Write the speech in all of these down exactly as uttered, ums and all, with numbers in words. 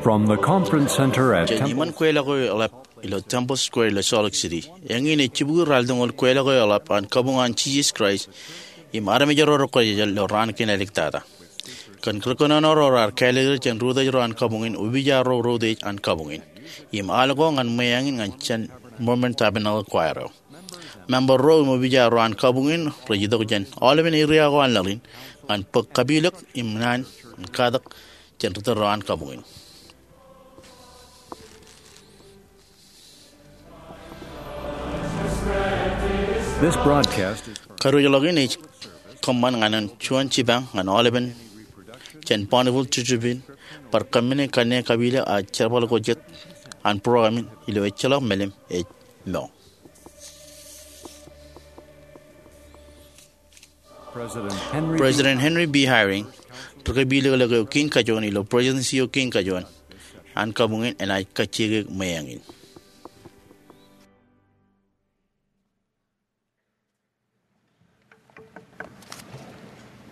From the conference center at Jān Temple iṃōn kweilọk eo eḷap ilo Temple Square ilo Salt Lake City, eñin ej jibukwi ralitōñoul kweilọk eo eḷap an Kabuñ an Jisōs Kraist im Armej ro rej kwōjeḷ ilo raan kein āliktata. Kōn ri kōnono ro raar kālōklōk jān ri-utōj ro an kabuñ in, opiij ro rej utiej an kabuñ in, im al ko ñan ṃweañ in ñan jān Mormon Tabernacle Choir eo. Member ro im opiij ro an kabuñ in rej itok jān aolepen area ko an laḷ in ñan bōk kapilōk im naan in katak jān ri-tōl ro an kabuñ in. This broadcast is Kadiwōjḷọk in ej kōṃṃan ñan an juon jipañ ñan aolepen jān Bonneville Distribution, bar kōmmenin kanniōk kapilōk ak jerbal ko jet an program in ilo ejjeḷọk melim ej mour. President Henry B. President Henry B. Eyring, ri kapilōklōk eo kein kajoor ilo Presidency eo kein kajoor an kabuñ in enaaj kajjioñ ṃweañ in.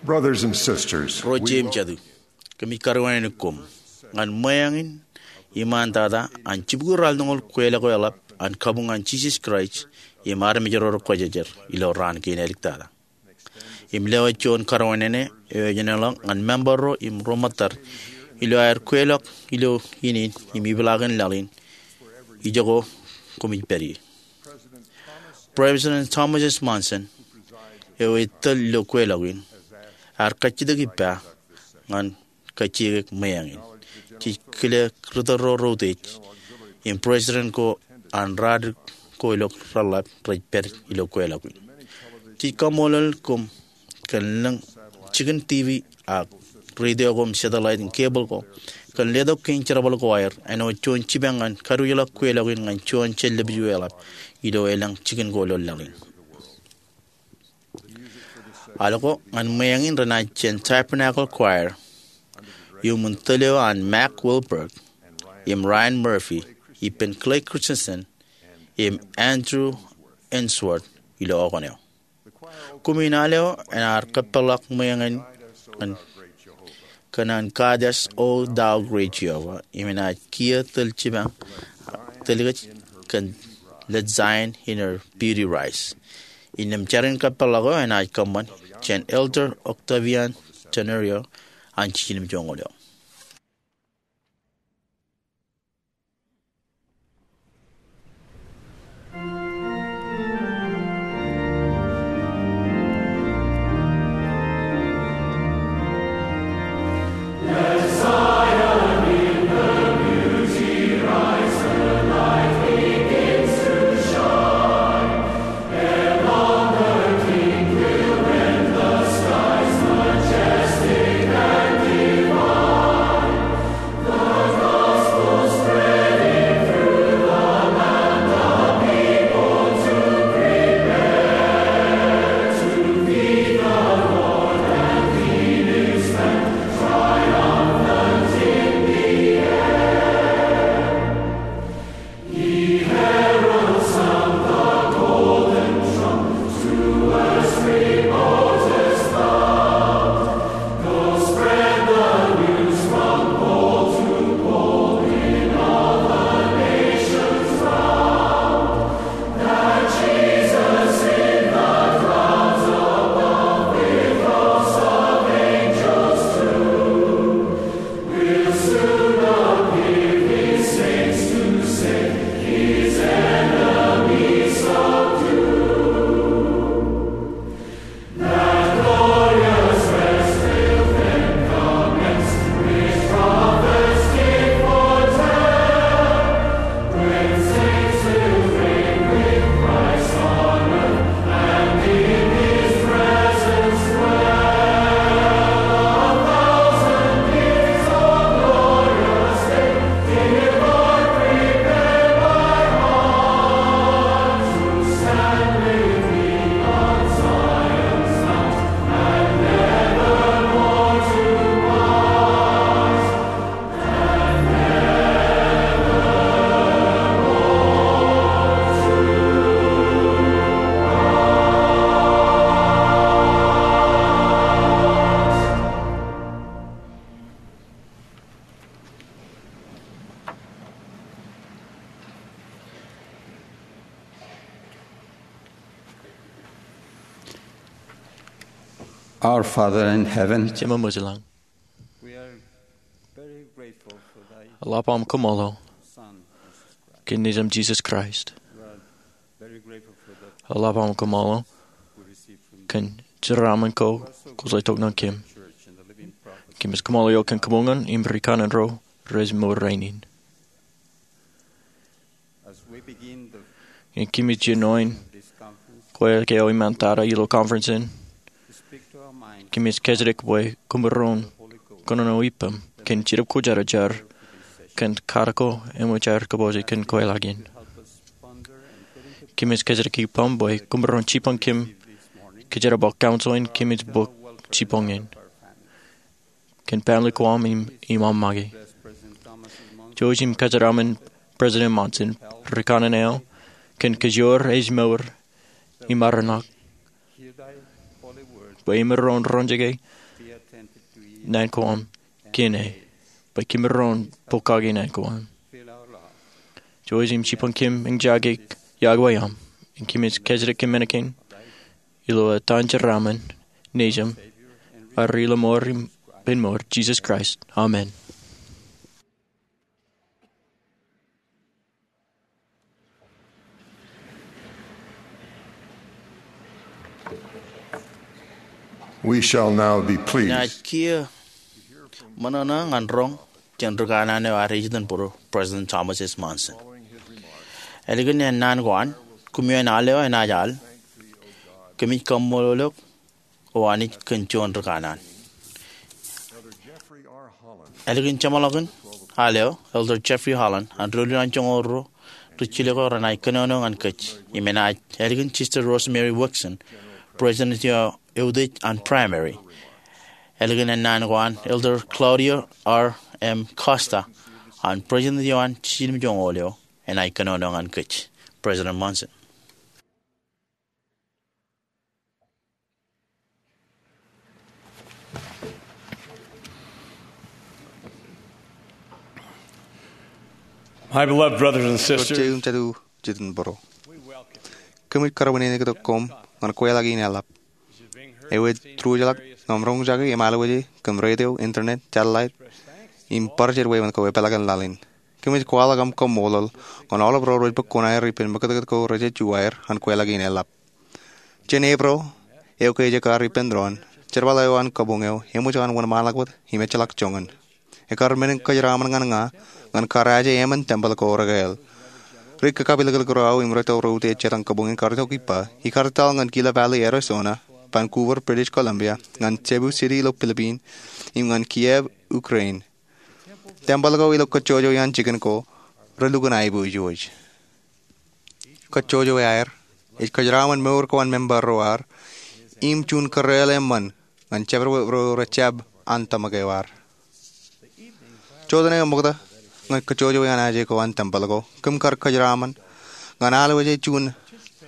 Brothers and sisters, Ro we jeiū im jatū, kōmij karuwainene koṃ ñan ṃweañ in iṃaantata an jibukwi ralitōñoul kweilọk eo eḷap an Kabuñ an Jisōs Kraist im Armej ro rej Kwōjarjar ilo raan kein āliktata. Im lewōj juon karuwainene eo ej eñḷọk ñan member ro im ro ṃōttad ilo aer kweilọk ilo ineen im ipḷaakin laḷ in ijoko koṃij pād ie. President Thomas S. Monson, eo ej tōl ilo kweilọk in, ear kajjitōk ippa ñan kajjioñ ṃweañ in. Jej kile ri-tōl ro rej utiej im president ko an radik ko ilo reḷḷap rej pād ilo kweilọk in. Jej kaṃṃoolol koṃ kōn lōñ jikin T V ak radio ko im satellite im cable ko kōn letok kein jerbal ko aer āinwōt juon jipañ ñan kadiwōjḷọk kweilọk in ñan juon jān lōb eo eḷap ilo elōñ jikin ko ilo laḷ in. Al ko ñan ṃweañ in renaaj jān Tabernacle Choir iuṃwin tōl eo an Mac Wilberg im Ryan Murphy ippān Clay Christensen im Andrew Ainsworth ilo okōn eo. Koṃin al eo enaaj kōpeḷḷọk ṃweañ in kōn an Kadas O Thou Great Jehovah, im enaaj kiiō tōl jipañ tōl kōj kōn Let Zion in Her Beauty Rise. Innām jar in kōpeḷḷọk eo enaaj kōṃṃan jān Elder Octavian Tenorio an jiljilimjuonñoul eo. Our Father in heaven, Jemām ilo laḷ, we are very grateful for thy eḷap aṃ kaṃṃoolol Son, Jesus Christ. Kōn Nejūṃ Jisōs Kraist. We are very grateful for the eḷap aṃ kaṃṃoolol we receive from kōn jeraaṃṃan ko kwō letok ñan kōm. Church and the living prophets. Kōmij kaṃṃoolol eok kōn kabuñ in im ri kanaan ro rej mour rainin. As we begin the Ñe kōmij jino in this conference, kwe eo iṃaan tata ilo conference in, speak to our minds, kōmij kōjatdikdik bwe koṃ maroñ kōnono ippaṃ kōn Jetōb Kwōjarjar kōn katak ko eṃōj aer kabuñōj kōn kweilọk in. Help us ponder and put into Kōmij kōjatdikdik ippaṃ bwe koṃ maroñ jipañ kōm kōjatdikdik bōk counsel in kōmij bōk jipañ in kōn family ko aṃ im, im aṃ make. Jouj im kōjeraaṃṃan President Monson, ri kanaan eo, kōn kajoor ej mour im arenak, bwe imaroñ roñjake naan ko aṃ kōn e, bwe kōmaroñ pokake naan ko aṃ. Jouj im jipañ kōm eñjake yokwe aṃ, im kōmij kōjatdikdik kōm men kein ilo etan Jeraaṃṃan, Nejūṃ, im Ri-lọmọọr im Ippān mour, Jisōs Kraist. Amen. We shall now be pleased. Inaaj kiiō ṃōṇōṇō ñan roñ jān ri kanaan eo ad ej itok bōro, President Thomas S. Monson. Ālikin ennaan ko an, koṃeañ al eo enaaj al, kōmij kaṃṃoolol eok O Anij kōn juon ri kanaan. Ālikin jeṃḷọkin al eo, Elder Jeffrey Holland, an Ri-Lewin an Joñoul Ruo, ri jilōk eo renaaj kōnono ñan kōj. Im enaaj ālikin Sister Rosemary Wixon, President eo eutiej an Primary. Ālikin ennaan ko an, Elder Claudio R. M. Costa, an President eo an Jiljilimjuonñoul eo, enaaj kōnono ñan kōj. President Monson. My beloved brothers and sisters, Ro jeiū im jatū jitōnbōro, kōmij kar wūnin tok koṃ ñan kweilọk in eḷap. Ewōr truwōjḷọk ñan roñjake im alwōje kōn radio, internet, satellite, im bar jed wāween ko epālkin laḷ in. Kōmij kwaḷọk aṃ kaṃṃoolol ñan aolep ro rej bōk kuṇaer ippān ṃakūtkūt ko rej juwaer ñan kweilọk in eḷap. Jān Eprōl, eo ke ej kar ippān doon, jerbal eo an kabuñ eo eṃōj an wōnṃaanḷọk wōt im ejjeḷọk joñan. Ekar men in kōjeraaṃṃan ñan ña ñan kar aje emān tempel ko rekāāl. Ri kakapilōklōk ro aō im ri tōl ro utiej jet an kabuñ in kar itok ippa, ikar etal ñan Gila Valley, Arizona, Vancouver, British Columbia, ñan Cebu City ilo Philippines, im ñan Kyiv, Ukraine. Tempel ko ilo kajjojo iaan jikin ko relukkuun aiboojoj. Kajjojo eo aer ej kōjeraaṃṃan mour ko an member ro ad im juon kōrāāl eṃṃan ñan jabdewōt ro rej jab an tōmak eo ad. Jota eo ṃokta ñan kajjojo iaan aje ko an tempel ko, kōm kar kōjeraaṃṃan ñan alwōje juon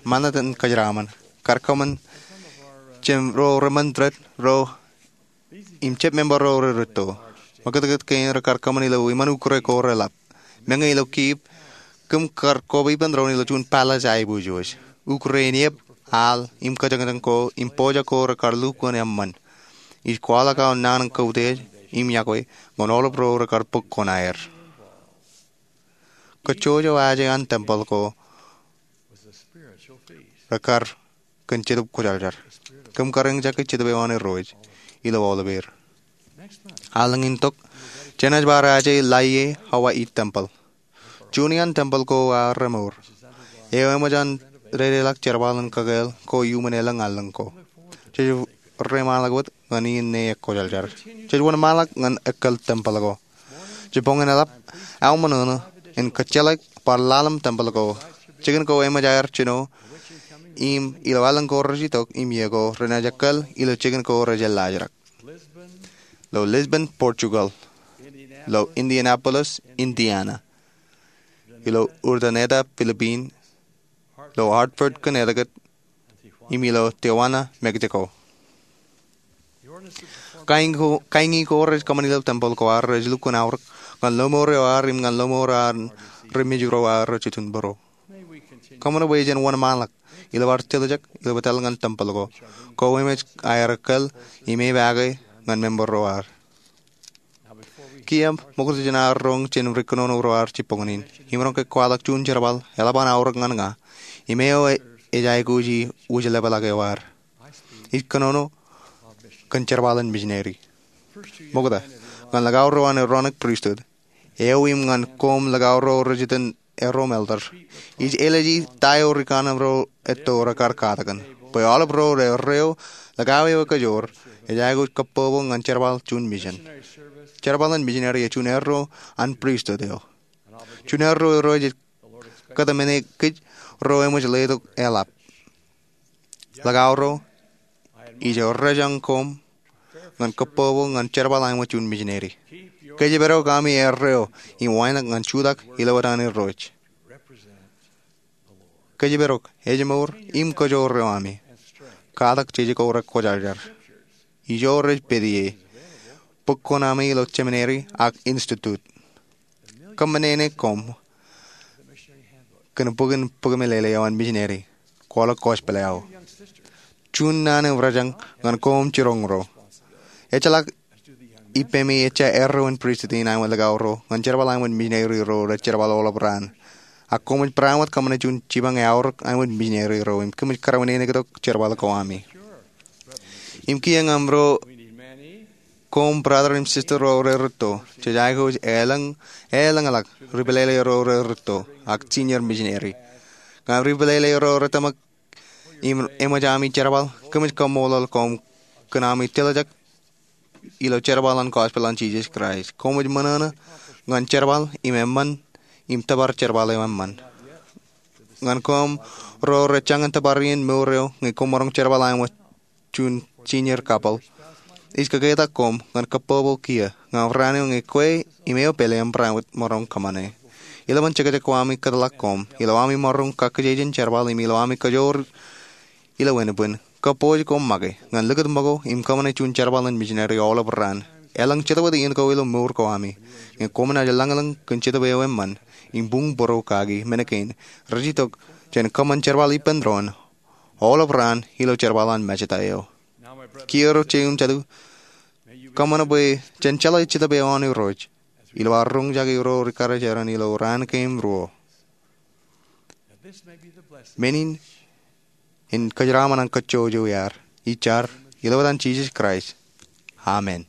ṃanit in kōjeraaṃṃan, kar kōṃṃan jān ro remnant ro im jab member ro rej rūtto. Ṃakūtkūt kein rekar kōṃṃan ilo iṃaan ukure ko reḷap. Meñe ilo Kyiv, kōm kar koba ippān doon ilo juon palace aiboojoj. Ukure in eep, al, im kōjañjañ ko im pojak ko rekar lukkuun eṃṃan. Ij kwaḷọk aō naan in kautiej im iọkwe ñan aolep ro rekar bōk kuṇaer. Kajjojo aje an tempel ko rekar kōn Jetōb Kwōjarjar. Kōm kar eñjake Jetōb eo an Irooj ilo aolepeir. Allōñ in tok, jenaaj bar aje Laie Hawaii Tempel. Juon iaan tempel ko aō remour, eo eṃōj an dedeḷọk jerbal in kakāāl ko iuṃwin elōñ allōñ ko. Jej reiṃaanḷọk wōt ñan iien ṇe ekwōjarjar. Jej wōnṃaanḷọk ñan ekkal tempel ko. Jibboñōn eḷap, aō ṃōṇōṇō in kōjjeḷāik bar laḷ im tempel ko. Jikin ko eṃōj aer jino im ilo allōñ ko rej itok im iiō ko renaaj ekkal ilo jikin ko rej jeḷāḷọk. Ilo Lisbon, Portugal. Ilo Indianapolis, Indiana. Ilo Urdaneta, Philippines. Ilo Hartford, Connecticut. Im ilo Tijuana, Mexico. Kaiñi ko, kaiñi ko rej kōṃṃan ilo tempel ko ad rej lukkuun aorōk ñan lọmọọr eo ad im ñan lọmọọr an ri mejro ad rej itok bōro. Kōṃṃan bwe jen wōnṃaanḷọk ilo bar tiljek ilo bōtab ñan tempel ko. Ko emej aer kōl im epaake ñan member ro ad. Kiiō ṃokta jān ad roñ jān ri kōnono ro ad jibboñōn in, imaroñ ke kwaḷọk juon jerbal eḷap an aorōk ñan ña im eo ej aikuji wūjlepḷọk eo ad. Ij kōnono kōn jerbal in misineri. Ṃokta, ñan likao ro an Aaronic Pristut, eo im ñan koṃ likao ro rej itōn erro elder, ij āliji ta eo ri kanaan ro etto rekar katakin, bwe aolep ro erreo likao eo ekajoor ej aikuj kōbbobo ñan jerbal juon misin. Jerbal in misineri ej juon erro an pristut eo. Juon erro eo rej kōtmāne kōj ro eṃōj letok eḷap. Likao ro, ij errejañ koṃ ñan kōbbobo ñan jerbal eo ṃōk juon misineri. Kōjparok ami erreo im wānōk ñan jutak ilo etan Irooj. Kōjparok ejmour im kōjoor eo ami. Katak jeje ko rekwōjarjar. Ijo rej pād ie bok ko ami ilo jemineri ak institut. Kōṃṃane koṃ kōn bok in bok meḷeḷe eo an misineri. Kwaḷọk gospel eo. Juon naan eo errejañ ñan koṃ jiroñ ro. Ejjeḷọk ippemi ejja erro in pristut in aṃ likao ro ñan jerbal aṃ misineri ro rej jerbal aolep raan. Ak koṃij barāinwōt kōṃṃane juon jipañ eaorōk aṃ misineri ro im kōmij kōrā in āinwōt jerbal ko ami. Im kiiō ñan ro koṃ brother im sister ro rej rūtto, jej aikuj elōñ, elōñḷọk ri pālele ro rej rūtto ak senior misineri. Ñan ri pālele ro rej tōmak im eṃōj ami jerbal, kōmij kaṃṃoolol koṃ kōn ami tiljek ilo jerbal an gospel an Jisōs Kraist. Koṃij ṃōṇōṇō ñan jerbal im eṃṃan im tōpar jerbal eo eṃṃan. Ñan koṃ ro rej jañin tōpar iien mour eo ñe koṃ maroñ jerbal aṃ juon senior couple, ij kōketak koṃ ñan kōbbobo kiiō ñan raan eo ñe kwe im eo pālle eṃṃan maroñ kōṃṃane. Ilowaan jekjek ko ami kōtḷọk koṃ, ilo ami maroñ kakkije jān jerbal im ilo ami kōjoor ilo ānbwin, kōpooj koṃ make ñan likūt ṃōko im kōṃṃane juon jerbal in misineri aolep raan. Elōñ jetōb iien ko ilo mour ko ami ñe koṃ naaj lañlōñ kōn Jetōb eo eṃṃan im buñ būruo kaki men kein rej itok jān kōṃṃan jerbal ippān doon aolep raan ilo jerbal an Mājeta eo. Kiiō ro jeiū im jatū, kōṃṃan bwe jen jeḷā Jetōb eo an Irooj ilo ad roñjake ro ri karijeran ilo raan kein ruo. Men in en kōjeraaṃṃan an kōjjojo iaad. Ij jar ilo etan Jisōs Kraist, amen.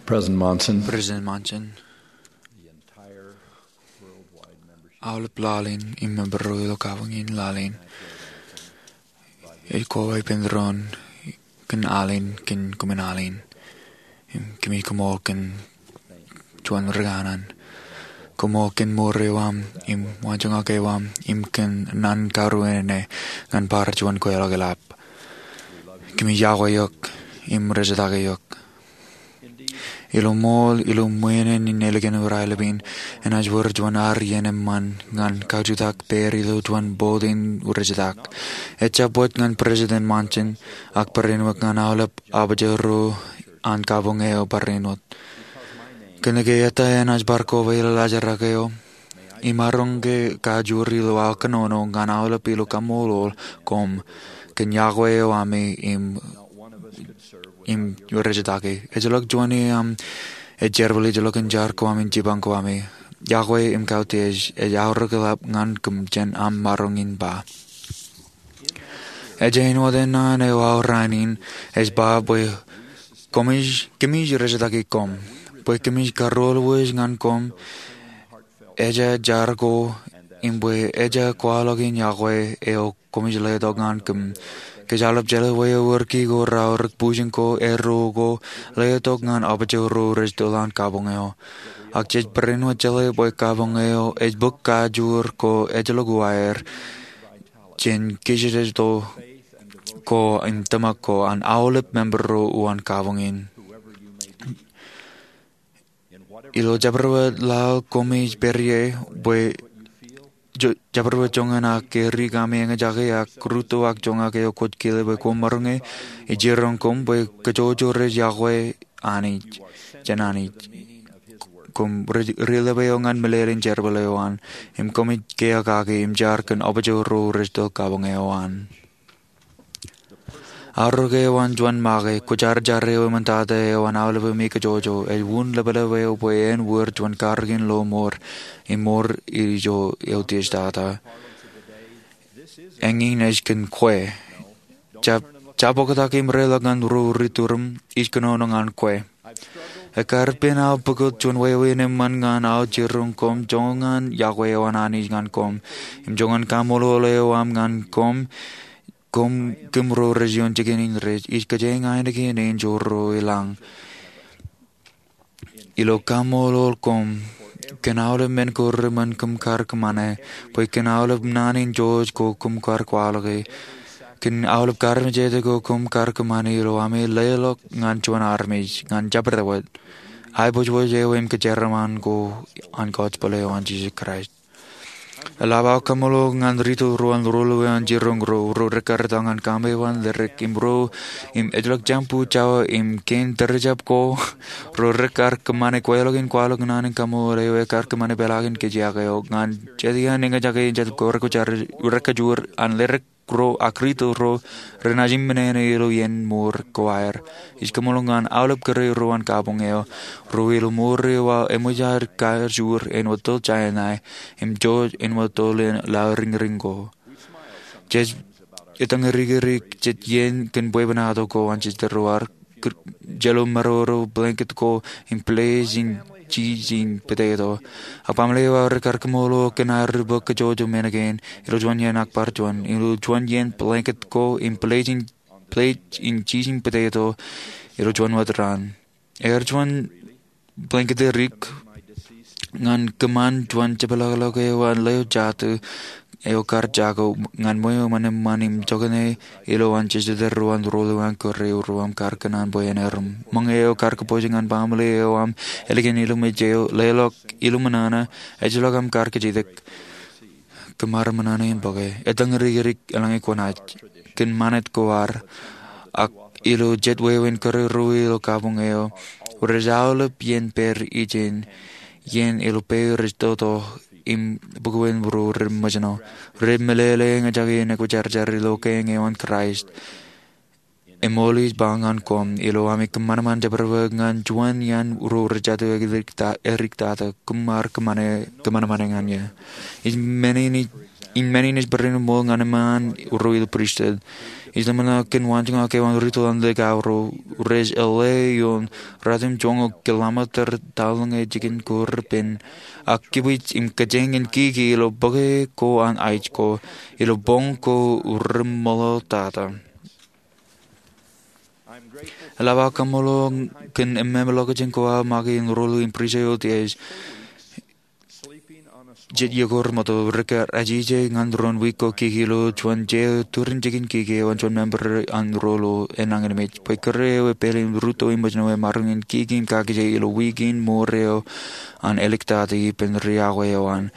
President Monson, President Monson, aolep laḷ in im member ro ilo kabuñ in laḷ in ej koba ippān doon kōn al in kōn koṃwin al in. Im kōmij koṃṃool kōn juon ri kanaan. Koṃṃool kōn mour eo aṃ im waanjoñak eo aṃ im kōn naan karuwene ñan bar juon kweilọk eḷap. Kōmij yokwe eok im rejetake eok. Ilo ṃool, ilo ṃwiin in ālikin ur aelep in, enaaj wōr juon ad iien eṃṃan ñan kajutak pād ilo juon bōd in rejetak. Ejjab wōt ñan President Monson, ak barāinwōt ñan aolep apōjro an kabuñ eo barāinwōt. Kōnke eta enaaj bar koba ilo laajrak eo, imaroñ ke kajoor ilo aō kōnono ñan aolep ilo kaṃṃoolol koṃ kōn yokwe eo ami im im rejetake. Ejjeḷọk juon iaam ej jerbal ijellọkin jar ko ami im jipañ ko ami. Yokwe im kautiej ej aorōk eḷap ñan kōm jān aṃ maroñ in ba. Ej āinwōt eṇ an eo aorōk in ej ba bwe kōmij, kōmij rejetaki koṃ, bwe kōmij karuwelwōj ñan koṃ, ejja jar ko, im bwe ejja kwaḷọk in yokwe eo kōmij letok ñan kōm. Kōj aolep jeḷā wōt eo wōr ki ko, raorōk, bujen ko, erro ko, letok ñan apōjro ro rej tōl an kabuñ eo. Ak jej barāinwōt jeḷā bwe kabuñ eo ej bōk kajoor ko ejjeḷọk uwaer jān kōjatdikdik ko im tōmak ko an aolep member ro uwaan kabuñ in. Ilo jabdewōt laḷ kōmij pād ie, bwe jo-, jabdewōt joñan ak erik ami eñjake ak rūtto ak joñak eo kwōj kile bwe koṃ maroñ e, ij jiroñ koṃ bwe kōjwōj rej yokwe Anij, jān Anij. Koṃ ri-, rilepe eo ñan meḷeḷein jerbal eo an, im kōmij kiiō kake im jar kōn apōjro ro rej tōl kabuñ eo an. Aorōk eo an juon make, kwōjarjar eo eṃōj tata eo an aolep eo mi kōjwōj, ej wūn lepḷep eo bwe en wōr juon karōk in lo mour, im mour ijo eutiej tata. Eñin ej kōn kwe. Jab, jab oktak im reḷọk ñan ro ri turuṃ, ij kōnono ñan kwe. Ekkar ippān aō pukot juon wāween eṃṃan ñan aō jiroñ koṃ, joñan yokwe eo an Anij ñan koṃ, im joñan kaṃṃoolol eo aṃ ñan koṃ, koṃ kōm ro rej ioon jikin in rej, ij kōjeañ ainikien enjeḷ ro i lañ. Ilo kaṃṃoolol koṃ kōn aolep men ko reṃṃan kōm kar kōṃṃane, bwe kōn aolep naan in jwōj ko kōm kar kwaḷọke, kōn aolep kar mejāde ko kōm kar kōṃṃane ilo ami leḷọk ñan juon armej, ñan jabdewōt aiboojoj eo im kōjeraṃṃan ko an gospel eo an Jisōs Kraist. Eḷap aō kaṃṃoolol ñan rūtto ro an ruo ḷeo an jiroñ ro, ro rekkar etal ñan kaṃṃoolol ḷōḷḷap im ro, im ejjeḷọk jāmbu, jabdewōt im kein tōre jab ko, ro rekkar kōṃṃane kweilọk in kwaḷọk naan in kaṃṃoolol eo ekkar kōṃṃane peḷaakin kōjak eo, ñan jet iaan eñjake in jab ko rekkajoor an ḷōḷḷap ro ak rūtto ro renaaj im men eo ilo iien mour ko aer. Ij kaṃṃoolol ñan aolep kōrā ro an kabuñ eo, ro ilo mour eo aō eṃōj aer kajoor āinwōt tōl Sainai, im jwōj āinwōt tōl in laḷ riñriñ ko. Jej etōñrikdik jet iien kōn bwebwenato ko an jejtōl ro ar kōj jelō maroro blanket ko im plej in cheese im potato. Ak baaṃle eo aō rekkar kaṃṃoolol kōn aer ri bōk kōjwōj men kein, ilo juon iien ak bar juon, ilo juon iien blanket ko im plej in, plej in cheese im potato, ilo juon wōt raan. Ear juon blanket edik ñan kōṃṃan juon jepḷaakḷọk eo an leo jatū eo kar jako ñan ṃweo ṃan eṃṃan im jokane ilo an jejtōl ro an ruo ḷeo an kōrā ro aṃ kar kōṇaan bwe en erom. Ṃōñā eo kar kōpooj ñan baaṃle eo aṃ ālikin ilumej eo, leḷọk iluṃwin nana, ejjeḷọk aṃ kar kōjatdikdik. Kōṃṃan ṃōṇōṇō im bōke. Etōñrikdik eḷaññe kwōnaaj kōn ṃanit ko ad, ak ilo jet wāween kōrā ro ilo kabuñ eo, rej aolep iien pād ijin, iien ilo peiṃ rej toto im bukwen ro rej ṃōjṇọ. Rej meḷeḷe eñjake in ekwōjarjar ilo kein eo an Kraist. Im ij ba ñan koṃ, ilo ami kōṃanṃan jabdewōt ñan juon iaan ro rej jatū edik ta-, edik tata, koṃ ar kōṃṃane, kōṃanṃane ñan ie. Ij men in ij in men in ej peran ṃool ñan eṃṃaan ro ilo pristut. Ij ḷōmṇak kōn waanjoñak eo an ri tōl an ḷọk aō ro rej L A ioon ratimjuonñoul kilometer tallōñe jikin ko repen, ak kibwij im kōjeañ in kiki ilo bōke ko an aij ko, ilo boñ ko reṃṃoḷtata. Eḷap aō kaṃṃoolol kōn eṃṃan ḷọkjeṇ ko aō make in rōlu im Priest eo Diaz, jet iiō ko remootḷọk, rekar ajije ñan doon wiik ko kiki ilo juon jea turin jikin kiki eo an juon member an rōlu enañinmej. Bwe kōrā eo epād im rūtto im ṃōjṇọ emaroñ in kiki im kakije ilo wiik in mour eo an āliktata ippān ri yokwe eo an.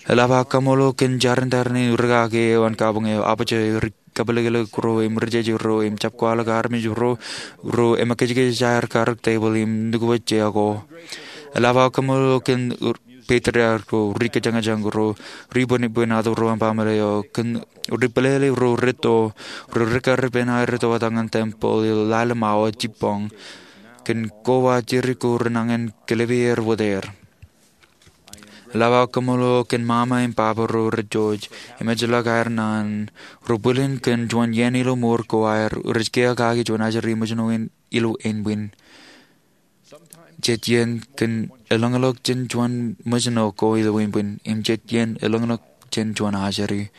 Eḷap aō kaṃṃoolol kōn jarin tarrin in rūkaki eo an kabuñ eo, apaje ri kapelekelek ro im ri jeje ro im jab kwaḷọk armej ro, ro emakijkij aer karōk tebōḷ im nukwe jea ko. Eḷap aō kaṃṃoolol kōn patriarch ro, ri kōjañjañ ro, ri bwinbwinato ro an baaṃle eo, kōn ri pālele ro retto, ro rekar ippān aer ettoḷọk ñan tempel ilo ḷalem awa jibboñ, kōn koba jidik ko renañin kōlepe er wōt er. Eḷap aō kaṃṃoolol kōn mama im baba ro rej jouj im ejjeḷọk aer naan, ro bwilin kōn juon iien ilo mour ko aer, rej kiiō kaki juon ajri ṃōjṇo in ilo ānbwin. Jet iien kōn elōñḷọk jān juon ṃōjṇo ko ilo ānbwin, im jet iien elōñḷọk jān juon ajri.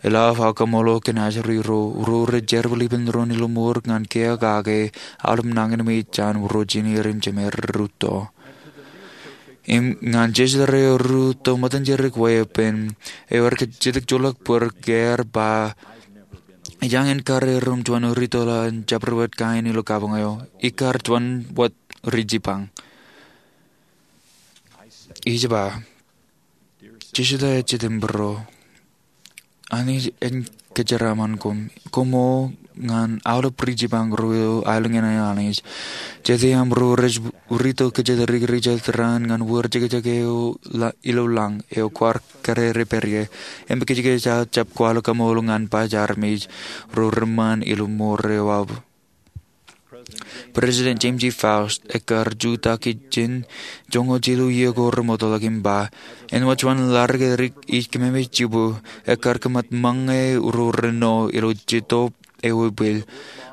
Eḷap aō kaṃṃoolol kōn ajri ro, ro rej jerbal ippān doon ilo mour ñan kiiō kaki aolep nañinmej jān ro jinier im jemed rūtto. Im ñan jejeḷā ro rūtto ṃōttan jidik weeppān, eo aer kajjitōk joḷọk bōd ke aer ba, ij jañin kar erom juon ri tōl an jabdewōt kain ilo kabuñ eo, ikar juon wōt ri jipañ. Ij ba, Jisōs ej Jetōb ro. Anij en kōjeraaṃṃan koṃ, koṃ ñan aolep ri jipañ ro ilo aelōñ in an Anij. Jete aṃ ro rej rūtto kōjatdikdik ri jatdikdik raan ñan wōr jekjek eo ilo lañ eo kwaar karere pād ie. Im kajjitōk aō jab kwaḷọk kaṃṃoolol ñan baj armej ro reṃṃan ilo mour eo aō. President James E. Faust ekkar jutak ijin joñoul jilu iiō ko remootḷọk im ba, āinwōt juon laḷ ri kōjatdikdik ij kememej jibū, ekkar kōṃṃan ṃōñā ro reno ilo jitōb eo ebwil.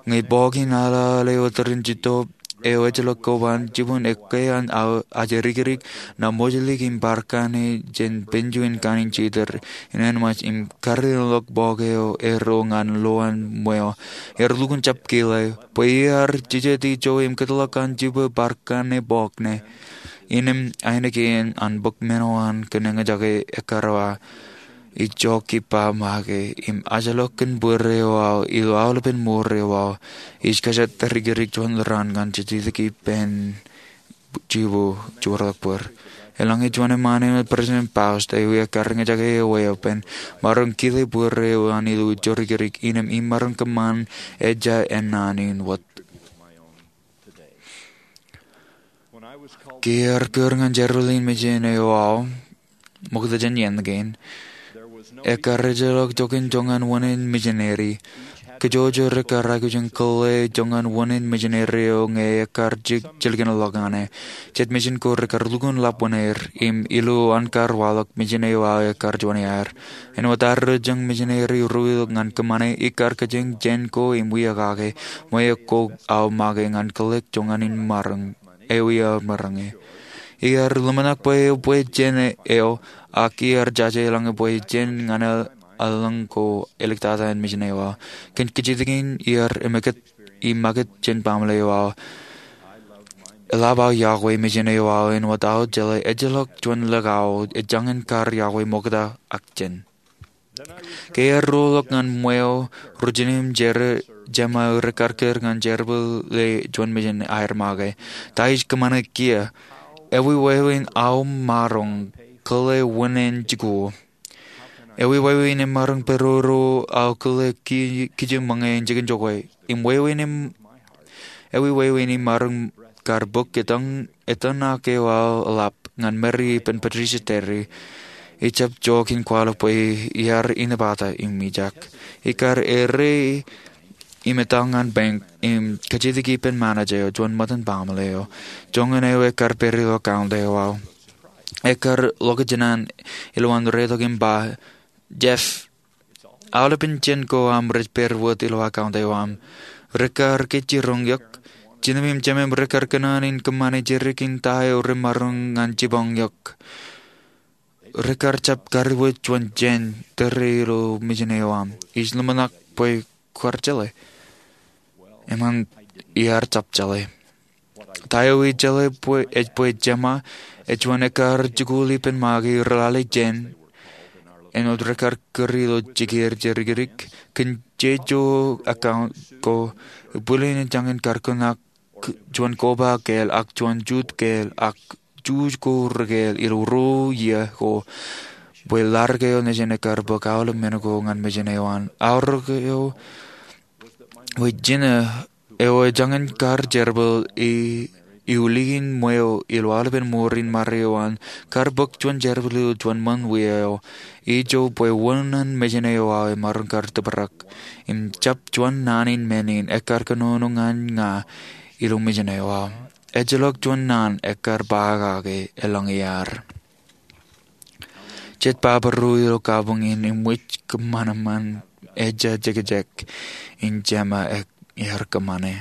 Ñe bọọk in aḷaḷ eo tōre in jitōb eo ejjeḷọk koban jibū ekkā an ajri kōjatdikdik, ṇa mojlik im bar kanne jān penju in kaṇ in jitōb in āinwōt im karreoḷọk bọọk eo erro ñan lo an ṃweo. Ear lukkuun jab kile, bwe iar jejjet ijo im kōtḷọk an jibū bar kanne bọọk ṇe. Innām ainikien an bōk men eo an kōn eñjake ekkar ba, ij jokki ba make im ajḷọk kōn bōd eo aō ilo aolepen mour eo aō. Ij kōjatdikdik juon raan ñan jejjet ippān jibū joorḷọk bōd. Eḷaññe juon eṃṃaan eo President Faust eo ekkar eñjake eo weeppān, maroñ kile bōd eo an ilo ijo ri kōjatdikdik innām im maroñ kōṃṃan ejja ennaan in wōt. Ke iar kūr ñan jerbal in mejān eo aō ṃokta jān iien kein, ekkar ejjeḷọk joñan joñan wūnin misineri. Kōjwōj eo rekkar aikuj in kōḷḷā joñan wūnin misineri eo ñe ekkar jilkinḷọk ñan e. Jet mejān ko rekkar lukkuun ḷap wūnin er, im ilo an kar waḷọk mejān eo aō ekkar juon iaer. Āinwōt arro jen misineri ro ilọk ñan kōṃṃane, ikar kōjeañ jān ko im wia kake, ṃweo ko aō make ñan kōḷḷā joñan in maroñ, eo iar maroñ e. Iar ḷōmṇak bwe eo bwe jān eo, ak iar jaje eḷaññe bwe jān ñan eḷaññe ko āliktata in mejān eo aō. Kōn kajjitōk in iar eṃōkūt im makūt jān baaṃle eo aō. Eḷap aō yokwe mejān eo aō āinwōt aō jeḷā ejjeḷọk juon likao ej jañin kar yokwe ṃokta ak jān. Ke iar roḷọk ñan ṃweo, ro jinen im jema eo rekkar kūr ñan jerbale juon mejān aer make. Ta ij kōṃṃane kiiō? Ewi wāween aō maroñ kōḷḷā wūnin jikuuḷ? Ewi wāween im maroñ pād ro aō kōḷḷā kije ṃōñā in jikin jokwe? Im wāween im, ewi wāween im maroñ kar bōk etan, etan ak eo aō eḷap ñan Mary ippān Patricia Terry? Ij jab jook in kwaḷọk bwe iar inepata im ijak. Ikar errā im etal ñan bank im kajjitōk ippān manager eo, juon ṃōttan baaṃle eo. Joñan eo ekkar pād ilo account eo aō. Ekkar ḷokjān an ilowaan retok im ba, Jeff, aolepen jān ko aṃ rej pād wōt ilo account eo aṃ. Rekar kōjjiroñ eok. Jinōm im jemem rekar kōṇaan in kōṃṃane jidik in ta eo remaroñ ñan jibboñ eok. Rekar jab kariwōj juon jān tōre ilo mejān eo aṃ. Ij ḷōmṇak bwe kwaar jeḷā. Eṃṃan, iar jab jeḷā. Ta eo ij jeḷā bwe ej bwe jema ej juon ekkar jikuuḷ ippān make rej lale jān āinwōt rekar kūr ilo jikier jidikdik kōn jeje account ko. Bwilin ej jañin karkōn ak juon koba kāāl ak juon jut kāāl ak juj ko rekāāl ilo ruo iiō ko bwe ḷadik eo nejin ekkar bōk aolep men ko ñan mejān eo an. Aorōk eo bwe jinō eo ej jañin kar jerbal i, iulikin ṃweo ilo aolepen mour in mare eo an, kar bōk juon jerbal ilo juon ṃōn wia eo. Ijo bwe wōn an mejān eo aō emaroñ kar tōprak im jab juon naan in men in ekkar kōnono ñan ña ilo mejān eo aō. Ejjeḷọk juon naan ekkar ba kake eḷaññe iar jet baba ro ilo kabuñ in im wōj kōṃanṃan ejja jekjek in jema ear kōṃṃane.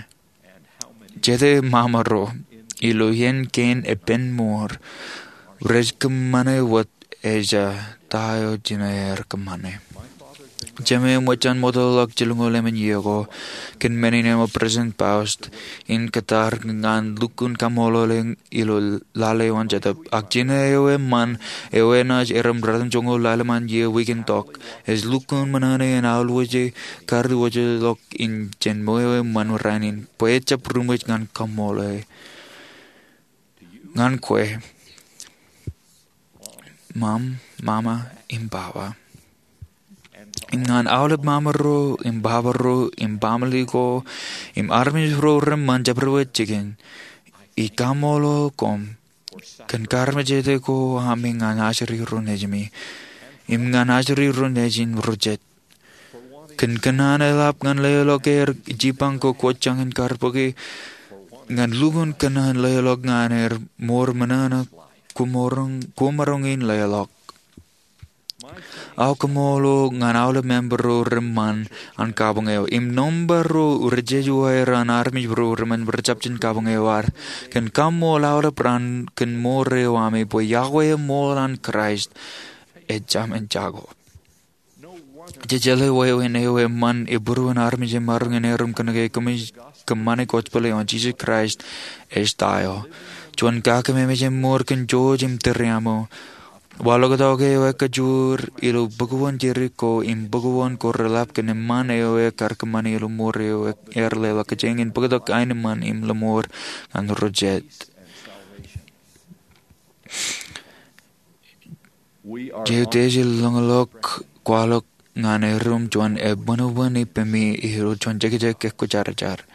Jete mama ro ilo iien kein epen mour rej kōṃṃane wōt ejja ta eo jinō ear kōṃṃane. Jemem eo ej ṃootḷọk jilñoul emān iiō ko kōn men in āinwōt President Faust in kōttar ñan lukkuun kaṃṃoolol ilo lale eo an Jetōb. Ak jinō eo eṃṃan eo enaaj erom ratimjuonñoul ḷalem an iiō wiik in tok ej lukkuun ṃōṇōṇō in aolwōje kariwōjḷọk in jān ṃweo eṃṃan rainin bwe ejjab ruṃwij ñan kaṃṃoolol ñan kwe, Mom, Mama, im Papa. Im ñan aolep mama ro im papa ro im baaṃle ko im armej ro reṃṃan jabdewōt jikin, ij kaṃṃoolol koṃ kōn karmejete ko ami ñan ajri ro nejimi im ñan ajri ro nejin ro jet. Kōn kōṇaan eḷap ñan leḷọk er jipañ ko kwōj jañin kar bōke, ñan lukkuun kōṇaan leḷọk ñan er mour ṃōṇōṇō koṃaroñ in leḷọk. Aō kaṃṃoolol ñan aolep member ro reṃṃan an kabuñ eo im nōṃba ro rej jeje wōt an armej ro reṃṃan rejjab jen kabuñ eo ad kōn kaṃṃoolol aolep raan kōn mour eo ami bwe iọkwe eṃool an Kraist ejāmin jako. Jej jeḷā wāween eo eṃṃan ibūruon armej emaroñ in erom kōnke kōmij kōṃṃane gospel eo an Jisōs Kraist ej ta eo. Juon kakememej eṃṃool kōn George im Teriamo. Waḷọktok eo ekajoor ilo bōkōwōn jidik ko im bōkōwōn ko reḷap kōn eṃṃan eo ekar kōṃṃane ilo mour eo ear leḷọk kōjeañ in bōktok aenōṃṃan im lōṃoor ñan ro jet. Jej utiej ilo ḷōñḷọk kwaḷọk ñan erom juon ebuñbuñ ippemi ilo juon jekjek ekkwōjarjar.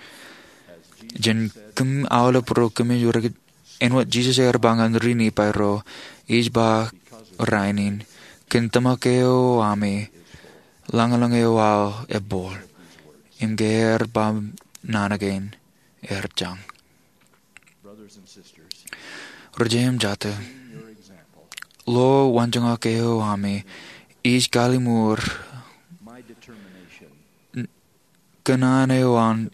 Jān kōm aolep ro kōmij ri āinwōt Jisōs ear ba ñan ri-Nifai ro, ij ba rainin, kōn tōmak eo ami, lañlōñ eo aō ebooḷ, im ke ear ba naan kein, ear jañ. Ri-jeiū im jatū, ḷeo waanjoñak eo ami, ij kalliṃur kōṇaan eo an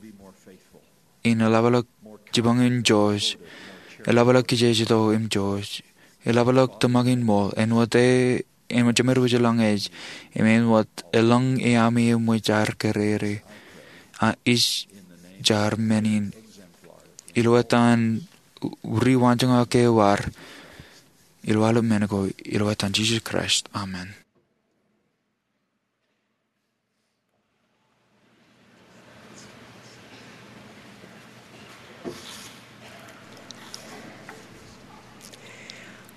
in eḷapḷọk jipañ in Joseph, eḷapḷọk kijejeto im Joseph, eḷapḷọk tōmak in ṃool, āinwōt e, āinwōt jemed wōj eḷaññe ej, im āinwōt eḷaññe ami eṃōj ad kōrere, a ij jar men in, ilo etan ri waanjoñak eo ad, ilo aolep men ko, ilo etan Jisōs Kraist, amen.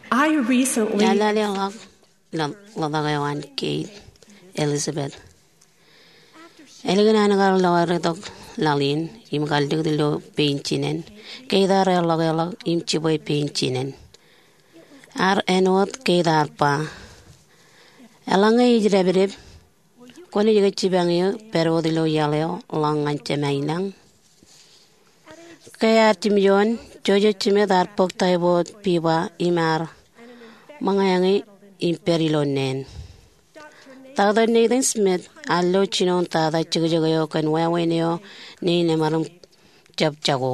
I recently Eḷaññe ḷọk, ḷọk, ḷọk eo an Kate Elizabeth. Ālikin an kar ḷọk eddōk laḷ in im kar likūt ilo pein jinen, Kate ear ḷọk eḷọk im jibwe pein jinen. Ear āinwōt Kate ear ba, eḷaññe ij dāpdep, kwōnaaj ke jipañ eō pād wōt ilo iaḷ eo ḷọk ñan jemāinlañ? Ke ear jimjuon, Joseph Smith ear bōk typhoid fever im ear ṃōñā ñe im pād ilo neen. Doctor Nathan Smith ear lo jinoin tata jekjek eo kōn wāween eo nein emaroñ jab jako.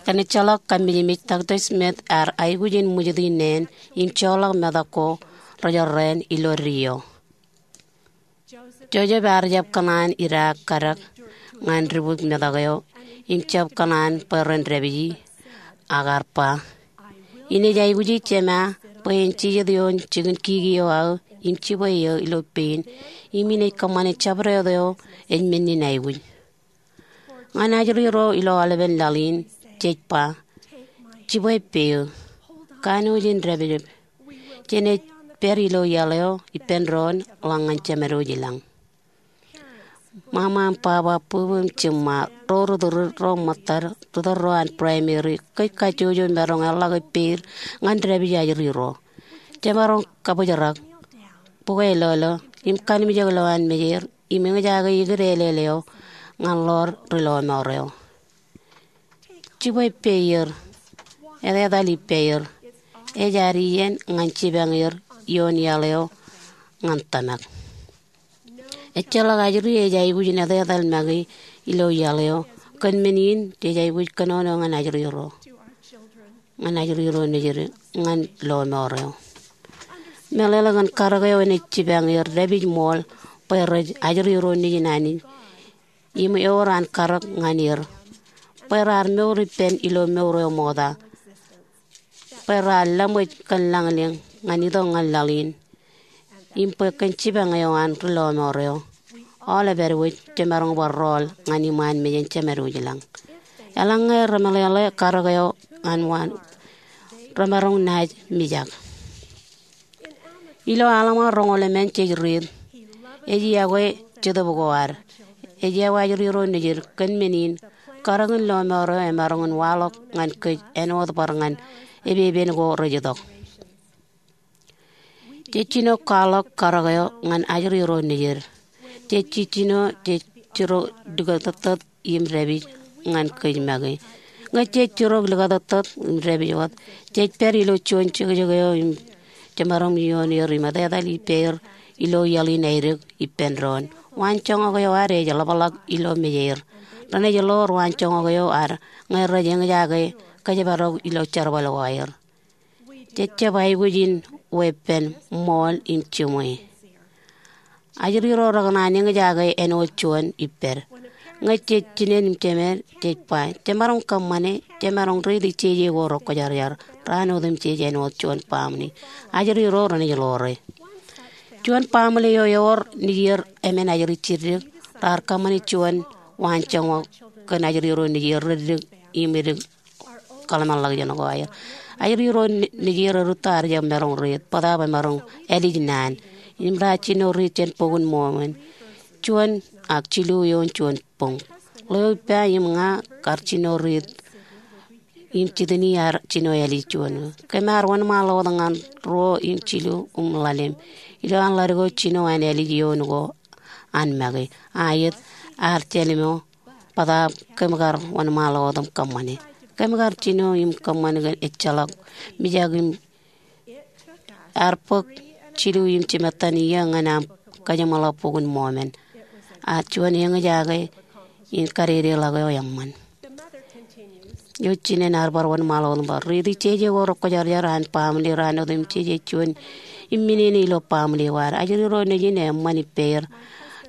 Kōn ejjeḷọk kammijmij, Doctor Smith ear aikuj in ṃwijiti neen im joḷọk metak ko rej jorrāān ilo deo. Joseph ear jab kōṇaan idaak kadak ñan dibwik metak eo im jab kōṇaan bwe ren dāpiji, ak ear ba, Inaaj aikuji Jema bwe en jijet ioon jikin kiki eo aō im jibwe eō ilo pein, im inaaj kōṃṃane jabdewōt eo ej men in aikuj. Ñan ajri ro ilo aolepen laḷ in, jej ba, Jibwe peio. Kanooj in dāpdep. Jenaaj pād ilo iaḷ eo ippān doon ḷọk ñan Jemed wōj i lañ. Ṃaṃa im baba, bubu im jiṃṃa, ro ri tūrūd, ro ṃōttad, ri tōl ro an primary, kōj kajjojo maroñ eḷḷọk ippāer ñan dāpij ajri ro. Jemaroñ kabōjrak, bukwe lolo, im kanimjek ilowaan mejeir, im eñjake ikid āleel eo ñan ḷoor ri lọmọọr eo. Jibwe peier, etetal ippāer, ej ad iien ñan jipañ er ioon iaḷ eo ñan tōmak. Ejjeḷọk ajri ej aikuj in etetal make ilo iaḷ eo, kōn men in jej aikuj kōnono ñan ajri ro, ñan ajri ro nejid, ñan lọmọọr eo. Meḷeḷe kōn karōk eo enaaj jipañ er dāpij ṃool bwe rej ajri ro nejin Anij im ewōr an karōk ñan er, bwe raar mour ippān ilo mour eo ṃokta, bwe raar laṃōj kōn lañlōñ ñan itok ñan laḷ in, im bwe kōn jipañ eo an ri lọmọọr eo, aolep edwōj jemaroñ bar rọọl ñan iṃaan mejān Jemed wōj i lañ. Eḷaññe remeḷeḷe karōk eo an waan, remaroñ naaj mijak. Ilo Alma roñoul emān jej riit, ej iọkwe jetōb ko ad. Ej iọkwe ajri ro nejid, kōn men in, karōk in lọmọọr eo emaroñ in waḷọk ñan kōj āinwōt bar ñan epepen ko rej itok. Jej jino kwaḷọk karōk eo ñan ajri ro nejid. Jej jijino, jej jiro likūtōktōt im dāpij ñan kōj make. Ñe jej jiro likūtōktōt im dāpij wōt, jej pād ilo juon jekjek eo im jemaroñ ioon er im etetal ippāer ilo iaḷ in aeddik ippān doon. Waanjoñak eo ad ej ḷapḷọk ilo mejeir. Renaaj ḷoor waanjoñak eo ad ñe rej eñjake kōjparok ilo jerbal ko aer. Jej jab aikuj in weeppān ṃool im jiṃwe. Ajri ro rekōṇaan eñjake āinwōt juon ippād. Ñe jej jinen im jemed, jej ba, jemaroñ kōṃṃane, jemaroñ riiti jeje ko rekwōjarjar, raan otemjej āinwōt juon baaṃle. Ajri ro renaaj ḷoore. Juon baaṃle eo ewōr nejier emān ajri jiddik, raar kōṃṃane juon waanjoñak kōn ajri ro nejier reddik im edik kōḷmānḷọkjeṇ ko aer. Ajri ro nejier rūtto ear jab maroñ riit, bōtaab emaroñ ālij naan. Im raar jino riit jān Bok in Mormon, juon ak jilu ioon juon boñ. Ḷeo ippa im ña kar jino riit, im jitini ear jino ālij juon. Kōm ar wōnṃaanḷọk wōt ñan ruo im jilu im ḷalem. Ilo an ḷaddik eo jino an ālij ioon ko an make. Aet, ear jālimo, bōtaab kōm kar wōnṃaanḷọk wōt im kōṃṃane. Kōm kar jino im kōṃṃan kōn ejjeḷọk mijak im ear bōk jilu im jimettan iiō ñan aṃ kajeṃḷọk Bok in Mormon. Ak juon eñjake in kadedeḷọk eo eṃṃan. Eo jinen ear bar wōnṃaanḷọk wōt im ba, riiti jeje ko rekwōjarjar an baaṃle raan otemjej ej juon imminene ilo baaṃle ko ad. Ajri ro nejin eṃṃan ippāer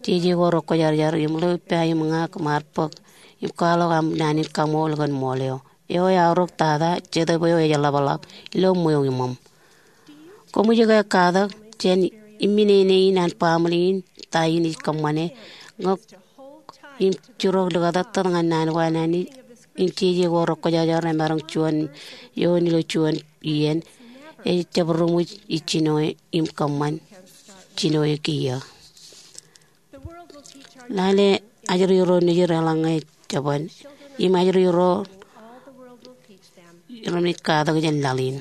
jeje ko rekwōjarjar im ḷeo ippa im ña kōm ar bōk im kwaḷọk aṃ naan in kaṃool kōn ṃool eo. Eo eaorōk tata, Jetōb eo ej ḷapḷọk ilo ṃweo iṃōṃ. Koṃij ke katak jān imminene in an baaṃle in, ta in ij kōṃṃane? Ñe im jirok likūtōktōt ñan naan ko an Anij im jeje ko rekwōjarjar emaroñ juon eoon ilo juon iien, ej jab ri ṃōj ij jino im kōṃṃan jino kiiō. Lale ajri ro nejid eḷaññe jeban, im ajri ro renaaj katak jān laḷ in.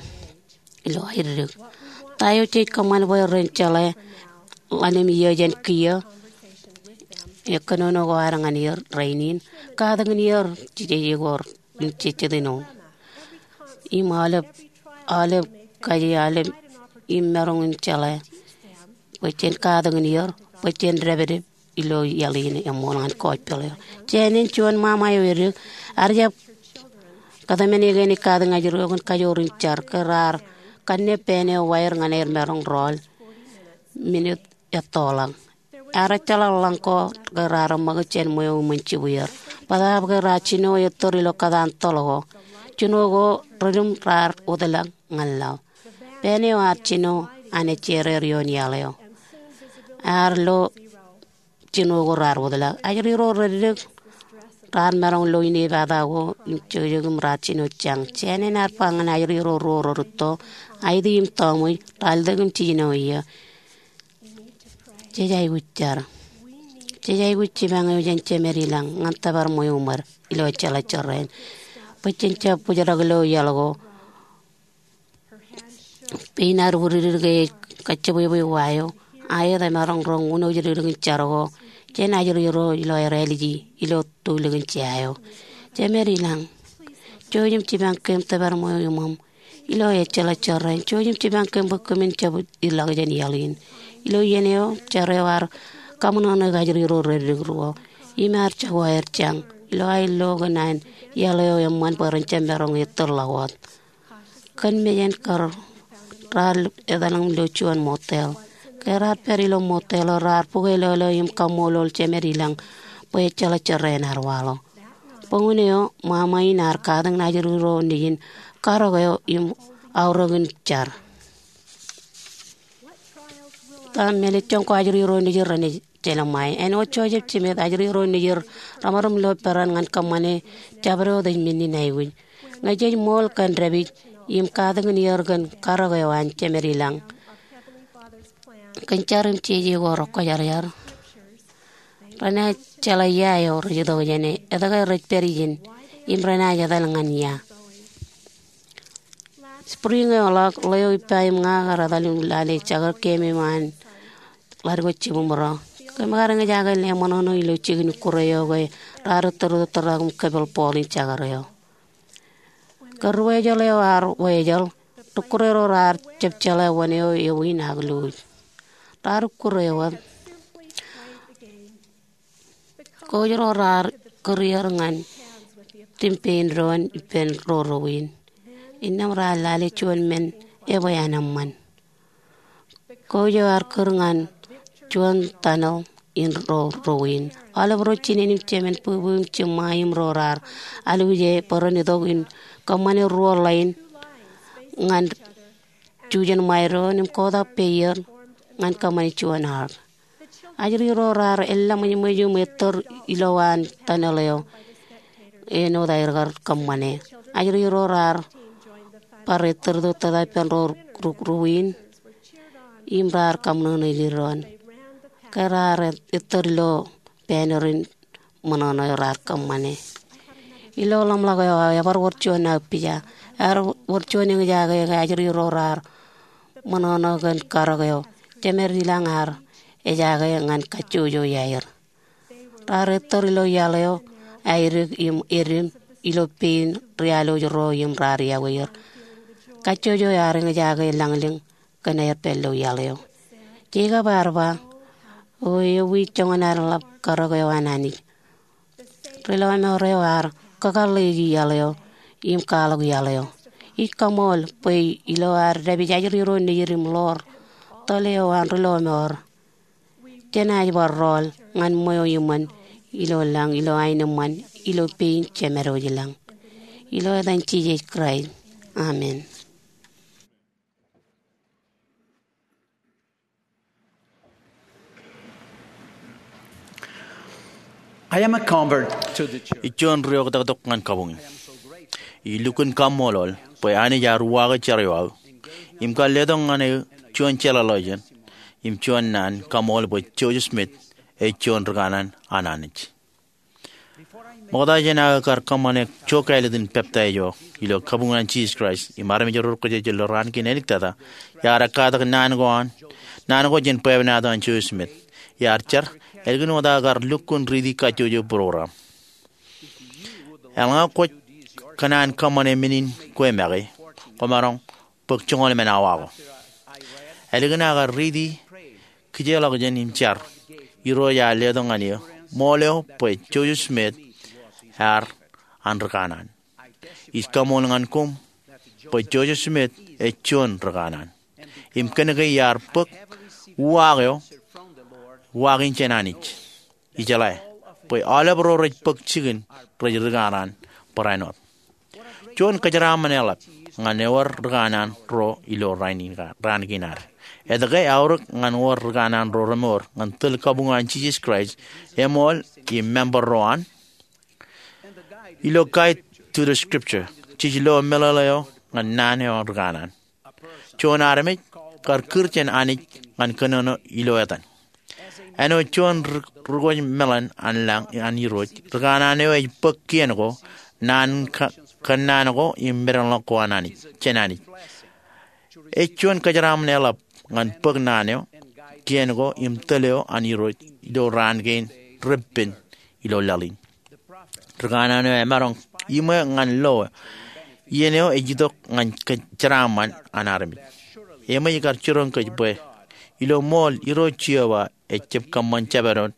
Ilo aeddik, ta eo jej kōṃṃan bwe ren jeḷā ḷalem iiō jān kiiō? Eo kōnono ko ad ñan er rainin, katakin er jeje ko im jejjet āinwōt im aolep, aolep kaje aolep im maroñ in jeḷā bwe jen katakin er, bwe jen dāpdep ilo iaḷ in eṃool ñan gospel eo. Jān in juon ṃaṃa eo edik, ear jab kōtmāne kein katakin ajri eo kōn kajoor in jar ke raar kanne pāān eo waer ñan aer maroñ rọọl minit ettoḷọk. Ear ejjeḷọk ḷọk ko ke raar ṃōk jān ṃweo iṃōn jibuer. Bōtaab ke raar jino ettōr ilo kōtaan toḷ ko, jino ko redim raar wōtlọk ñan laḷ. Pāān eo ear jino an ejjeer ioon iaḷ eo. Ear lo jino ko raar wōtlọk. Ajri ro reddik raar maroñ lo inepata ko im jokjok im raar jino jañ. Jān in ear ba ñan ajri ro ruo rerūtto, Aiti im Tọmwōj, raar lōke im jiljino eō. Jej aikuj jar. Jej aikuj jipañ eo jān Jemed ilañ ñan tōpar ṃweo ṃōd ilo ejjeḷọk jorrāān, bwe jen jab bōjrak ilo iaḷ ko. Pein ear widikdik ke ej kajjibwebwe wa eo, aet emaroñ roñ uno jidikdik in jar ko jān ajri ro ilo aer āliji ilo tōl in jea eo. Jemed ilañ, jouj im jipañ kōm tōpar ṃweo iṃōṃ ilo ejjeḷọk jorrāān. Jouj im jipañ kōm bwe kōmin jab ilọk jān iaḷ in. Ilo iien eo, jar eo ear kaṃōṇōṇōik ajri ro reddik ruo im ear jako aer jañ ilo aer lo kōn an iaḷ eo eṃṃan bwe ren jab maroñ ettōr ḷọk wōt. Kōn mejān kar, raar etal im lo juon motel. Ke raar pād ilo motel eo, raar bukweilọklọk im kaṃṃoolol Jemed ilañ bwe ejjeḷọk jorrāān ear waḷọk. Bōk unin eo, ṃaṃa in ear katakin ajri ro nejin karōk eo im aorōk in jar. Ta mālejjoñ ko ajri ro nejin renaaj jelṃae? Āinwōt Joseph Smith, ajri ro nejin remaroñ lo peran ñan kōṃṃane jabdewōt ej men in aikuj. Ñe jej ṃool kōn dāpij im katakin er kōn karōk eo an Jemed ilañ kōn jar im jeje ko rekwōjarjar, renaaj jeḷā ia eo rej itok jāne, etke rej pād ijin, im renaaj etal ñan ia. Spring eo ḷọk, ḷeo ippa im ña kar etal im lale jekar kememej an ḷaddik ko jibwiṃro. Kōm kar eñjake leṃōṇōṇō ilo jikin ikkure eo ke raar ettōr tōtōrtak im kōpel bọọl in jekar eo. Ke ruwājeḷ eo ear wājeḷ, ri ikkure ro raar jab jeḷā wōn eo ewi in ak luuj. Raar ikkure wōt. Coach ro raar kūr er ñan tim pein doon ippān ro ruo in. Innām raar lale juon men ebwe an eṃṃan. Coach eo ear kūr ñan juon tunnel in ro ruo in. Aolep ro jinen im jemān, bwibwi im jiṃṃa im ro raar alwōje bwe ren itok in kōṃṃane ruo line ñan jujen ṃae doon im kotak peier ñan kōṃṃane juon ark. Ajri ro raar eḷḷaṃōjṃōj im ettōr ilowaan tunnel eo āinwōt aer kar kōṃṃane. Ajri ro raar bar ettōr tōtōtā ippān ro ruo in im raar kaṃōṇōṇōik doon. Ke raar ettōr ilo banner in ṃōṇōṇō eo raar kōṃṃane. Ilo ḷōmṇak eo aō, ebar wōr juon aō pija. Ear wōr juon eñjake ke ajri ro raar ṃōṇōṇō kōn karōk eo Jemed ilañ ear ejake ñan kajjojo iaer. Raar ettōr ilo iaḷ eo, aidik im edim ilo pein rialwōj ro im raar iọkwe er. Kajjojo ear eñjake lañlōñ kōn aer pād ilo iaḷ eo. Jekob ear ba, O ewi joñan adeḷap karōk eo an Anij? Ri lọmọọr eo ear kakōḷḷeiki iaḷ eo im kwaḷọk iaḷ eo. Ij kaṃool bwe ilo ad dāpij ajri ro nejid im ḷoor tōl eo an ri lọmọọr, jenaaj bar rọọl ñan ṃweo iṃōn ilo lañ ilo aenōṃṃan ilo pein Jemedwōj ilañ. Ilo etan Jisōs Kraist, amen. I am a convert to the church. Ij juon ri-oktaktok ñan kabuñ in. Ij lukkuun kaṃṃoolol bwe Anij ear uwaake jar eo aō im kar letok ñan eō juon jeḷāḷọkjeṇ im juon naan kaṃool bwe Joseph Smith ej juon rikana an Anij. Ṃokta jān aō kar kōṃṃane ijo kāālōt in peptaij eo ilo kabuñ an Jisōs Kraist im armej ro rej kōjejel ilo raan kein āliktata, iar ekkatak naan ko an, naan ko jān bwebwenato an Joseph Smith. Iar jar, ālikin wōt aō kar lukkuun riiti kajjojo program. Eḷaññe kwōj kōṇaan kōṃṃane men in kwe make, kwōmaroñ bōk joñoul emān awa ko. Ālikin aō kar riiti kōjeḷọkjeṇ im jar. Irooj ear letok ñan eō ṃool eo bwe Joseph Smith ear an rikanaan. Ij kaṃool ñan koṃ bwe Joseph Smith ej juon rikanaan. Im kōnke iar bōk uwaak eo, uwaak in jān Anij. Ijeḷā bwe aolep ro rej bōk jikin rej rikanaan barāinwōt. Juon kōjeraaṃṃan eḷap ñan ewōr rikanaan ro ilo raan kein ad. Etke aorōk ñan wōr rikanaan ro remour ñan tōl kabuñ an Jisōs Kraist, eṃool im member ro an? Ilo Guide to the Scripture, jej lo meḷeḷe eo ñan naan eo rikanaan. Juon armej kar kūr jān Anij ñan kōnono ilo etan. Āinwōt juon ri-, rikōj meḷan an lañ an Irooj, rikanaan eo ej bōk kien ko, naan ka-, kōnnaan ko im medenḷọk ko an Anij, jān Anij. Ej juon kōjeraaṃṃan eḷap ñan bōk naan eo, kien ko im tōl eo an Irooj ilo raan kein reppen ilo laḷ in. Rikanaan eo emaroñ iṃwe ñan lo iien eo ej itok ñan kōjeraaṃṃan an armej. Eṃōj kar jiroñ kōj bwe ilo ṃool Irooj Jeova ej jab kōṃṃan jabdewōt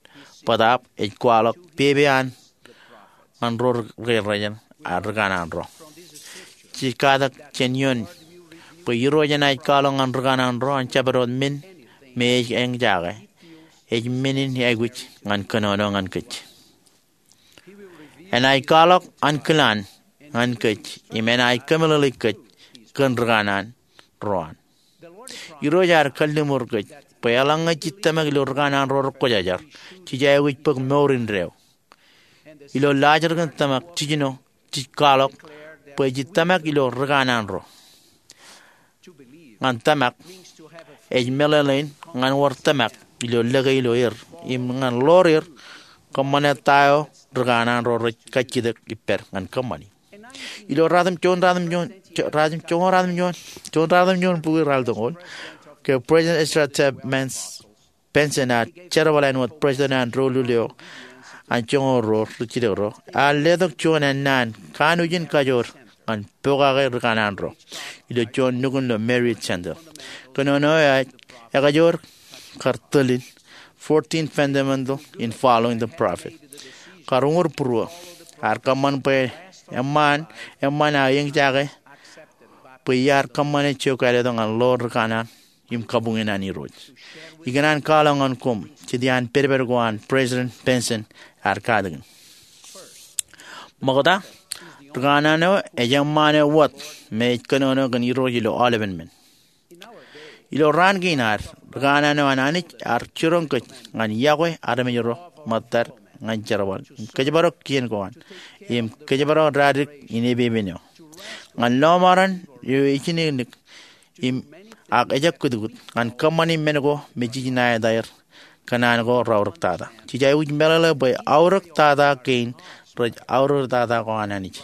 bōtaab ej kwaḷọk pepe an ñan ro ri-, ri-, ri-, rikanaan ro. Jej katak jān ioon bwe Irooj enaaj kwaḷọk ñan rikanaan ro an jabdewōt men me ej eñjake, ej men in aikuj ñan kōnono ñan kōj. Enaaj kwaḷọk ankilaan ñan kōj im enaaj kōmeḷeḷeik kōj kōn rikanaan ro an. Irooj ear kalliṃur kōj bwe eḷaññe jej tōmak ilo rikanaan ro rekwōjarjar, jej aikuj bōk mour indeeo. Ilo laajrak in tōmak jiljino, jej kwaḷọk bwe jej tōmak ilo rikanaan ro. Ñan tōmak ej meḷeḷein ñan wōr tōmak ilo lōke ilo er im ñan ḷoor er kōṃṃane ta eo rikanaan ro rej kajjitōk ippād ñan kōṃṃani. Ilo ratimjuon, ratimjuon, ratimjuon, ratimjuon, juon ratimjuon bukwi ralitōñoul, ke President Ezra Taft Benson ear jerbal āinwōt president an doulul eo an joñoul ruo ri jilkinro, ear letok juon ennaan kanooj in kajoor ñan pokake rikanaan ro ilo juon nukun ilo Marriott Center. Kōnono eo ej ekajoor kar tōl in Fourteen Fundamentals in Following the Prophet. Kar uñūr būruō, ear kōṃṃan bwe eṃṃan, eṃṃan aō eñjake bwe iar kōṃṃane jokāletok ñan ḷoor rikanaan im kabuñin an Irooj. Ikōṇaan kwaḷọk ñan koṃ jet iaan pedped ko an President Benson ear katakin. Ṃokta, rikanaan eo ej eṃṃaan eo wōt me ej kōnono kōn Irooj ilo aolepen men. Ilo raan kein ad, rikanaan eo an Anij ear jiroñ kōj ñan iọkwe armej ro ṃōttad ñan jerbal im kōjparok kien ko an im kōjparok daadik in epepen eo. Ñan lọmọọren eo ejinōknōk im ak ejab kutkut ñan kōṃṃani men ko me jej ṇa etaer kōn an ko reaorōk tata. Jej aikuj meḷeḷe bwe aorōk tata kein rej aorōk tata ko an Anij.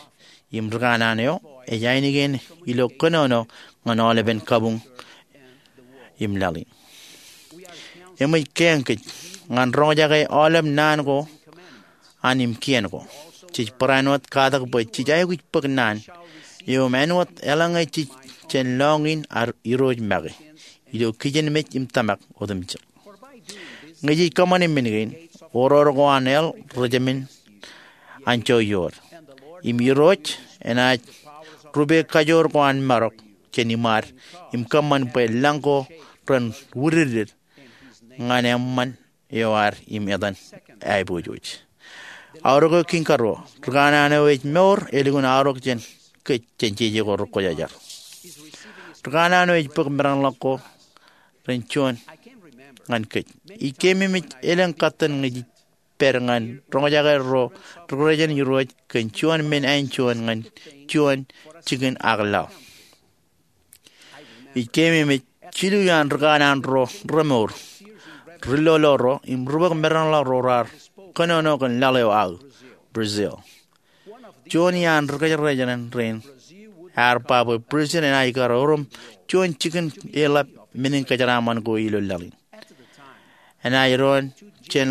Im rikanaan eo ej ainikien ilo kōnono ñan aolepen kabuñ im laḷ in. Eṃōj keeñ kōj ñan roñjake aolep naan ko an im kien ko. Jej barāinwōt katak bwe jej aikuj bōk naan eo im āinwōt eḷaññe jej jān lọñiin ad Irooj make ilo kijenmej im tōmak otemjek. Ñe jej kōṃṃane men kein, oror ko an hell rej emin anjọ iood. Im Irooj enaaj rupe kajoor ko an marok jān iṃaad im kōṃṃan bwe lañ ko ren wūdiddid ñan eṃṃan eo ad im etan aiboojoj. Aorōk eo kiiñ karuo, rikanaan eo ej mour elukkuun aorōk jān kōj jān jeje ko rekwōjarjar. Rikanaan eo ej bōk medanḷọk ko ren juon ñan kōj. Ij keememej elōñ katten ñe jej pād ñan roñjake ro ri-kōrejān Irooj kōn juon men āinjuon ñan juon jikin ak laḷ. Ij keememej jilu iaan rikanaan ro remour ri-lolo ro im ri-bōk medanḷọk ro raar kōnono kōn laḷ eo aō, Brazil. Juon iaan ri-kōjerajeran rein ear ba bwe Brazil enaaj kar orom juon jikin eḷap menin kōjeraaṃṃan ko ilo laḷ in. Enaaj doon jān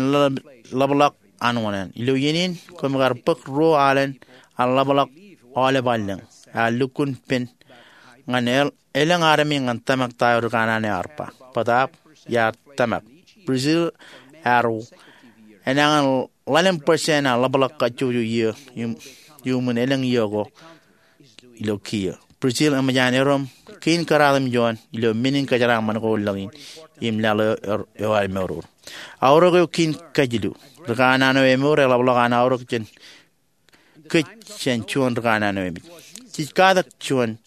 ḷapḷọk an oṇāān. Ilo iien in koṃ kar bōk ruo alen an ḷapḷọk aolep allōñ. Ear lukkuun pen ñan elōñ armej ñan tōmak ta eo rikanaan eo ear ba. Bōtaab iar tōmak. Brazil ear enañin ḷalem percent an ḷapḷọk kajjojo iiō iuṃwin elōñ iiō ko ilo kiiō. Brazil eṃōj an erom kein kōraat im juon ilo men in kōjeraaṃṃan ko ḷọk in im laḷ eo ear mour. Aorōk eo kein kajilu. Ri kanaan eo emour eḷapḷọk an aorōk jān kōj jān juon ri kanaan eo emej. Jej katak juon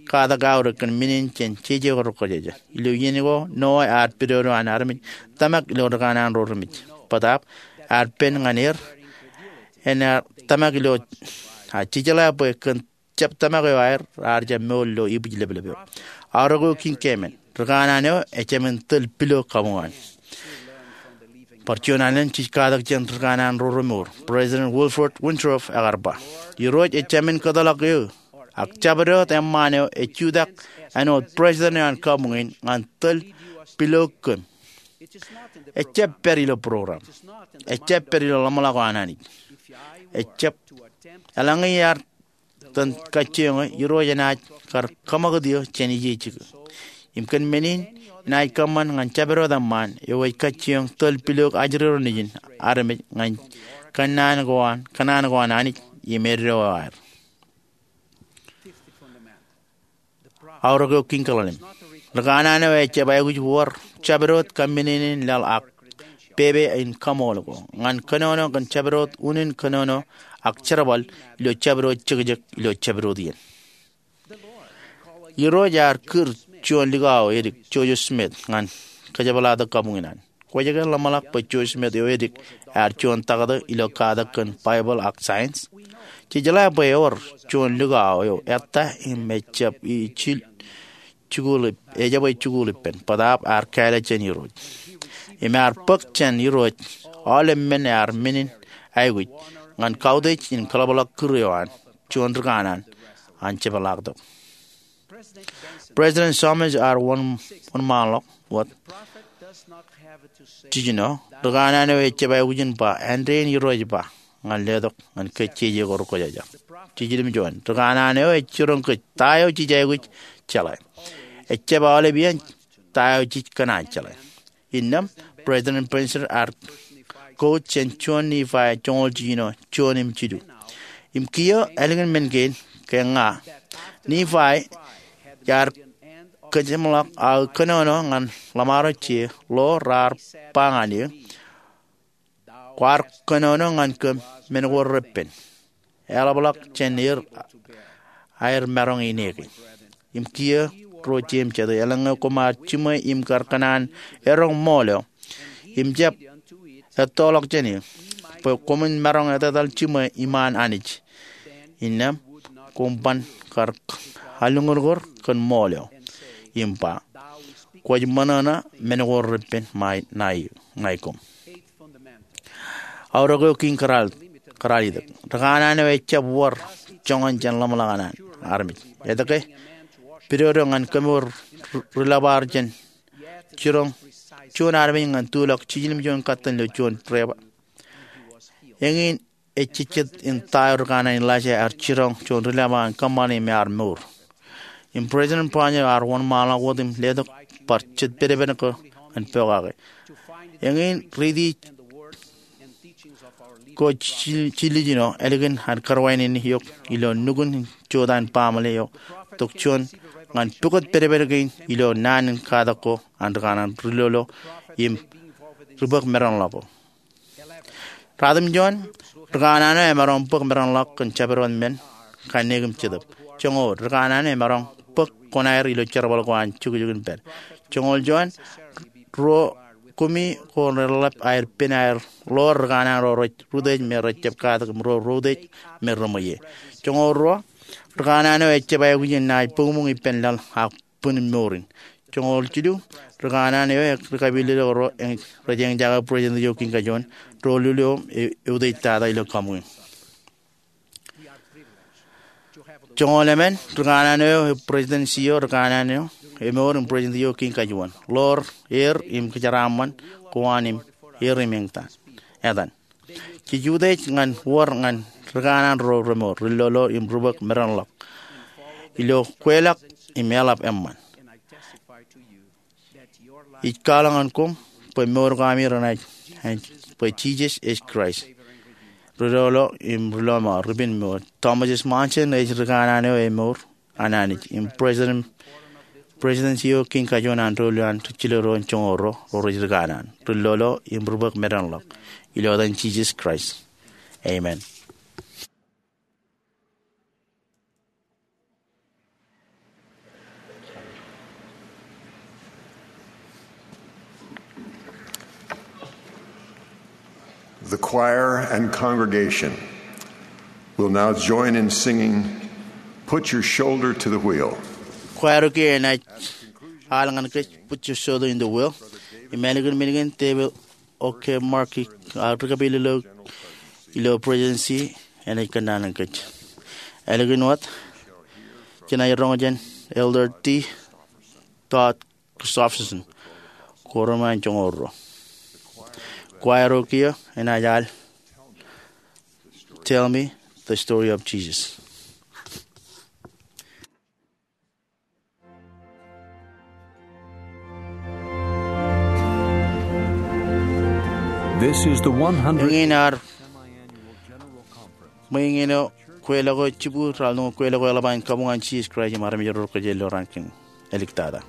katak aorōk kōn men in jān jeje ko rekwōjarjar. Ilo iien ko Noah ear pidodo an armej tōmak ilo ri kanaan ro remej. Bōtaab ear pen ñan er, en ear tōmak ilo, a, jejeḷā bwe kōn jab tōmak eo aer ear jab mour ilo ibwijleplep eo. Aorōk eo kein keemān. Ri kanaan eo ejāmin tōl pilo kabuñ an. Bar juon alen jej katak jān ri kanaan ro remour. President Wilford Woodruff ekar ba, Irooj ejāmin kōtḷọk eō, ak jabdewōt eṃṃaan eo ej jutak āinwōt president eo an kabuñ in ñan tōl pilo kōm. Ejjab pād ilo program. Ejjab pād ilo ḷōmṇak eo an Anij. Ejjab eḷaññe iar itōn kajjioñ eō, Irooj enaaj kar kōṃakūt eō jān ijejjikū. Im kōn men in, enaaj kōṃṃan ñan jabdewōt eṃṃaan eo ej kajjioñ tōl pilo ajri ro nejin armej ñan kōnnaan ko an, kōnnaan ko an Anij im eddo eo aer. Aorōk eo kein kaḷalem. Ri kanaan eo ejjab aikuj wōr jabdewōt kōmmenin laḷ ak pepe in kaṃool ko ñan kōnono kōn jabdewōt unin kōnono ak jerbal ilo jabdewōt jekjek ilo jabdewōt iien. Irooj ear kūr juon likao edik Joseph Smith ñan kōjepḷaaktok kabuñ in an. Kwōj ke ḷōmṇak bwe Joseph Smith eo edik ear juon taktō ilo katak kōn Baibōḷ ak science? Jej jeḷā bwe ewōr juon likao eo ettā im ejjab ij jikuuḷ ip-, ejjab ij jikuuḷ ippān, bōtaab ear kāālōt jān Irooj. Im ear bōk jān Irooj aolep men ear men in aikuj ñan kautiej in kōḷapḷọk kūr eo an juon ri kanaan an jepḷaaktok. President Thomas R. Won-, Wōnṃaanḷọk wōt jiljino, ri kanaan eo ejjab aikuj in ba, āindein Irooj ba, ñan letok ñan kōj jeje ko rekwōjarjar. Jiljilimjuon, ri kanaan eo ej jiroñ kōj ta eo jej aikuj jeḷā. Ejjab aolep iien ta eo jej kōṇaan jeḷā. Innām, President Spencer ear quote jān juon Nifai joñoul jiljino, juon im jilu. Im kiiō ālikin men kein, ke ña, Nifai, iar kōjeṃḷọk aō kōnono ñan ḷōṃaro je ḷo raar ba ñan eō, kwaar kōnono ñan kōm men ko repen. Eḷapḷọk jān er aer maroñ in eke. Im kiiō ro jeiū im jatū, eḷaññe koṃ ar jiṃwe im kar kōṇaan eroñ ṃool eo, im jab ettoḷọk jān eō, bwe koṃwin maroñ etetal jiṃwe iṃaan Anij, innām koṃ ban kar aluñurñur kōn ṃool eo, im ba, kwōj ṃōṇōṇō men ko repen ṃae ṇae, ṇae koṃ. Aorōk eo kein kōrā-, kōrā-, ri kanaan eo ejjab wōr joñan jān ḷōmṇak an armej. Etke? Pidodo ñan kōmour ri-, ri-lōbar jān jiroñ juon armej ñan tulọk jiljilimjuon katten ilo juon deba. Eñin ejejjet in ta eo ri kanaan Elijah ear jiroñ juon ri-lōbar ñan kōṃṃane im ear mour. Im President Spencer R. Wōnṃaanḷọk wōt im letok bar jet pedped ko ñan pokake. Eñin riiti ko jil-, jiljino ālikin an kōrwaineneik eok ilo nukun jota in baaṃle eo tok juon ñan pukot pedped kein ilo naan in katak ko an ri kanaan ri-lolo im ri bōk meranḷọk ko. Ratimjuon, ri kanaan eo emaroñ bōk meranḷọk kōn jabdewōt men, kanniōk im jetōb. Joñoul, ri kanaan eo emaroñ bōk kuṇaer ilo jerbal ko an jukjuk in pād. Joñoul juon, ro kumi ko reḷap aer pen aer ḷoor ri kanaan ro rej rūtōj me rejjab katak im ro rūtōj me reṃweiie. Joñoul ruo, ri kanaan eo ejjab aikuj in naaj buñbuñ ippān laḷ ak bwin mour in. Joñoul jilu, ri kanaan eo ekapeilelōk ro eñ-, rej eñjake president eo kein kajuon, ro lulio e-, eutiej tata ilo kabuñ in. Joñoul emān, ri kanaan eo ej presidency eo, ri kanaan eo emour im president eo kein kajuon. Ḷoor er im kōjeraaṃṃan ko an im er im eñtaan. Etan. Jej utiej ñan wōr ñan ri kanaan ro remour, ri-lolo im ri bōk meranḷọk ilo kweilọk im eḷap eṃṃan. Ij kwaḷọk ñan koṃ bwe mour ko ami renaaj, bwe Jisōs ej Kraist, ri-lolo im ri-lọmọọr, ri-pinmour. Thomas S. Monson ej ri kanaan eo emour an Anij, im President, President eo kein kajuon an doulul an ri-jilō ro joñoul ruo ro rej ri kanaan, ri-lolo im ri-bōk medanḷọk. Ilo etan Jisōs Kraist, amen. The choir and congregation will now join in singing Put Your Shoulder to the Wheel. Kwaer eo kiiō enaaj al ñan kōj Put Your Shoulder in the Wheel. Im ālikin men kein David Oke Markey, a, ri-kapeel ilo, ilo Presidency, enaaj kōnnaan kōj. Ālikin wōt, jenaaj roñ jān Elder D. Todd Christofferson, koṃṃool joñoul ruo. Kwaer eo kiiō enaaj al Tell Me the Story of Jesus. This is the one hundred. Eñin ear ṃweeñ eo kweilọk eo jibukwi raar lukkuun kweilọk eo eḷap an kabuñ an Jisōs Kraist im armej ro rej kōjeañ ilo raan kein āliktata.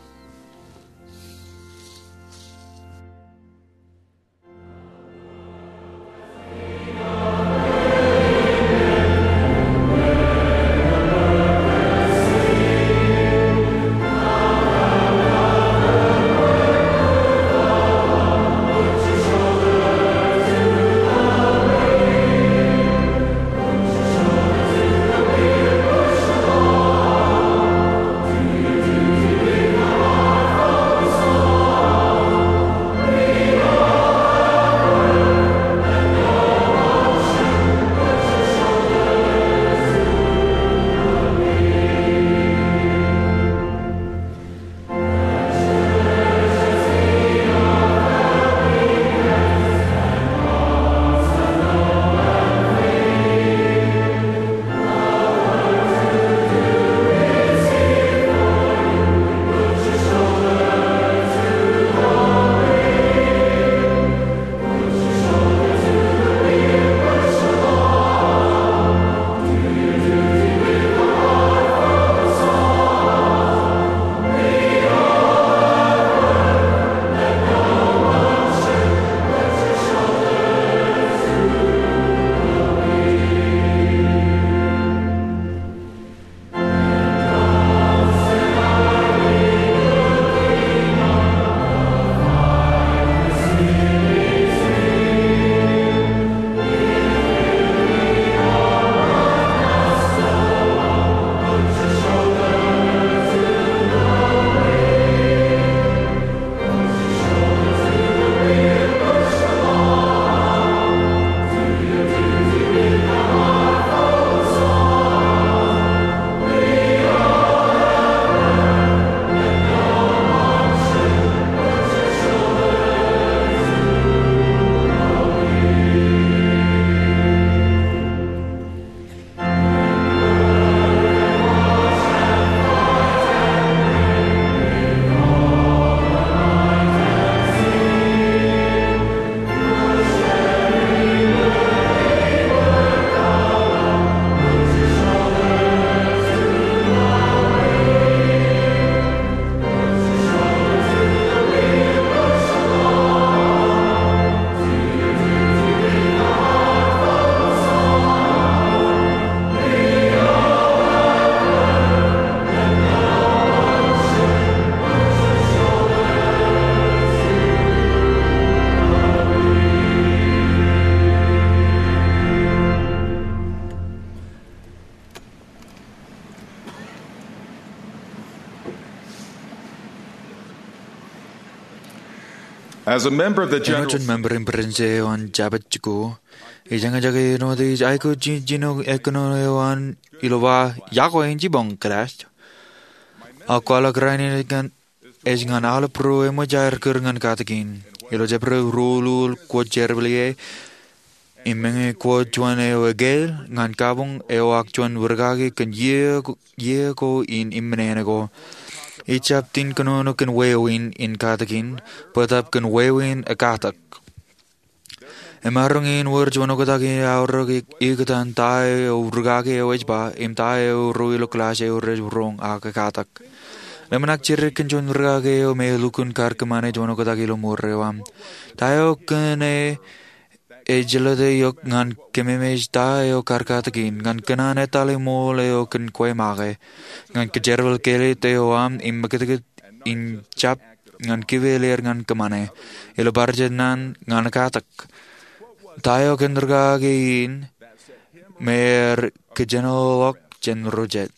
As a member of the General Āinwōt member in Presidency eo an Jabōt Jikuuḷ, ij eñjake āinwōt ij aikuj jiljino ekōnono eo an ilo ba, Iọkwe, en jibboñ, Kōlaaj. Ak kwaḷọk rainin ej ñan, ej ñan aolep ro eṃōj aer kūr ñan katakin. Ilo Jebreḷ ruo ḷọk, kwōj jerbal ie, im meñe kwōj juon eo ekāāl ñan kabuñ eo ak juon wūr kaki kōn iiō ko, iiō ko in iṃōṇōṇō ko. Ejjab tin kōnono kōn wāween in katakin, bōtab kōn wāween ekatak. Emaroñ in wōr juon oktak in aorōk ikōtaan ta eo rūkaki eo ej ba im ta eo ruo ilo kilaaj eo rej roñ ak ekatak. Ḷōmṇak jidik kōn juon rūkaki eo me elukkuun kar kōṃṃane juon oktak ilo mour eo aṃ. Ta eo kōn e ej jelōt eok ñan kememej ta eo kar katakin, ñan kōṇaan etale ṃool eo kōn kwe make, ñan kōjerbal kelōt eo aṃ im meketkot in jab ñan kipel er ñan kōṃṃane, ilo bar jet naan ñan ekatak. Ta eo kōn rūkaki in me er kōjenolọk jān ro jet.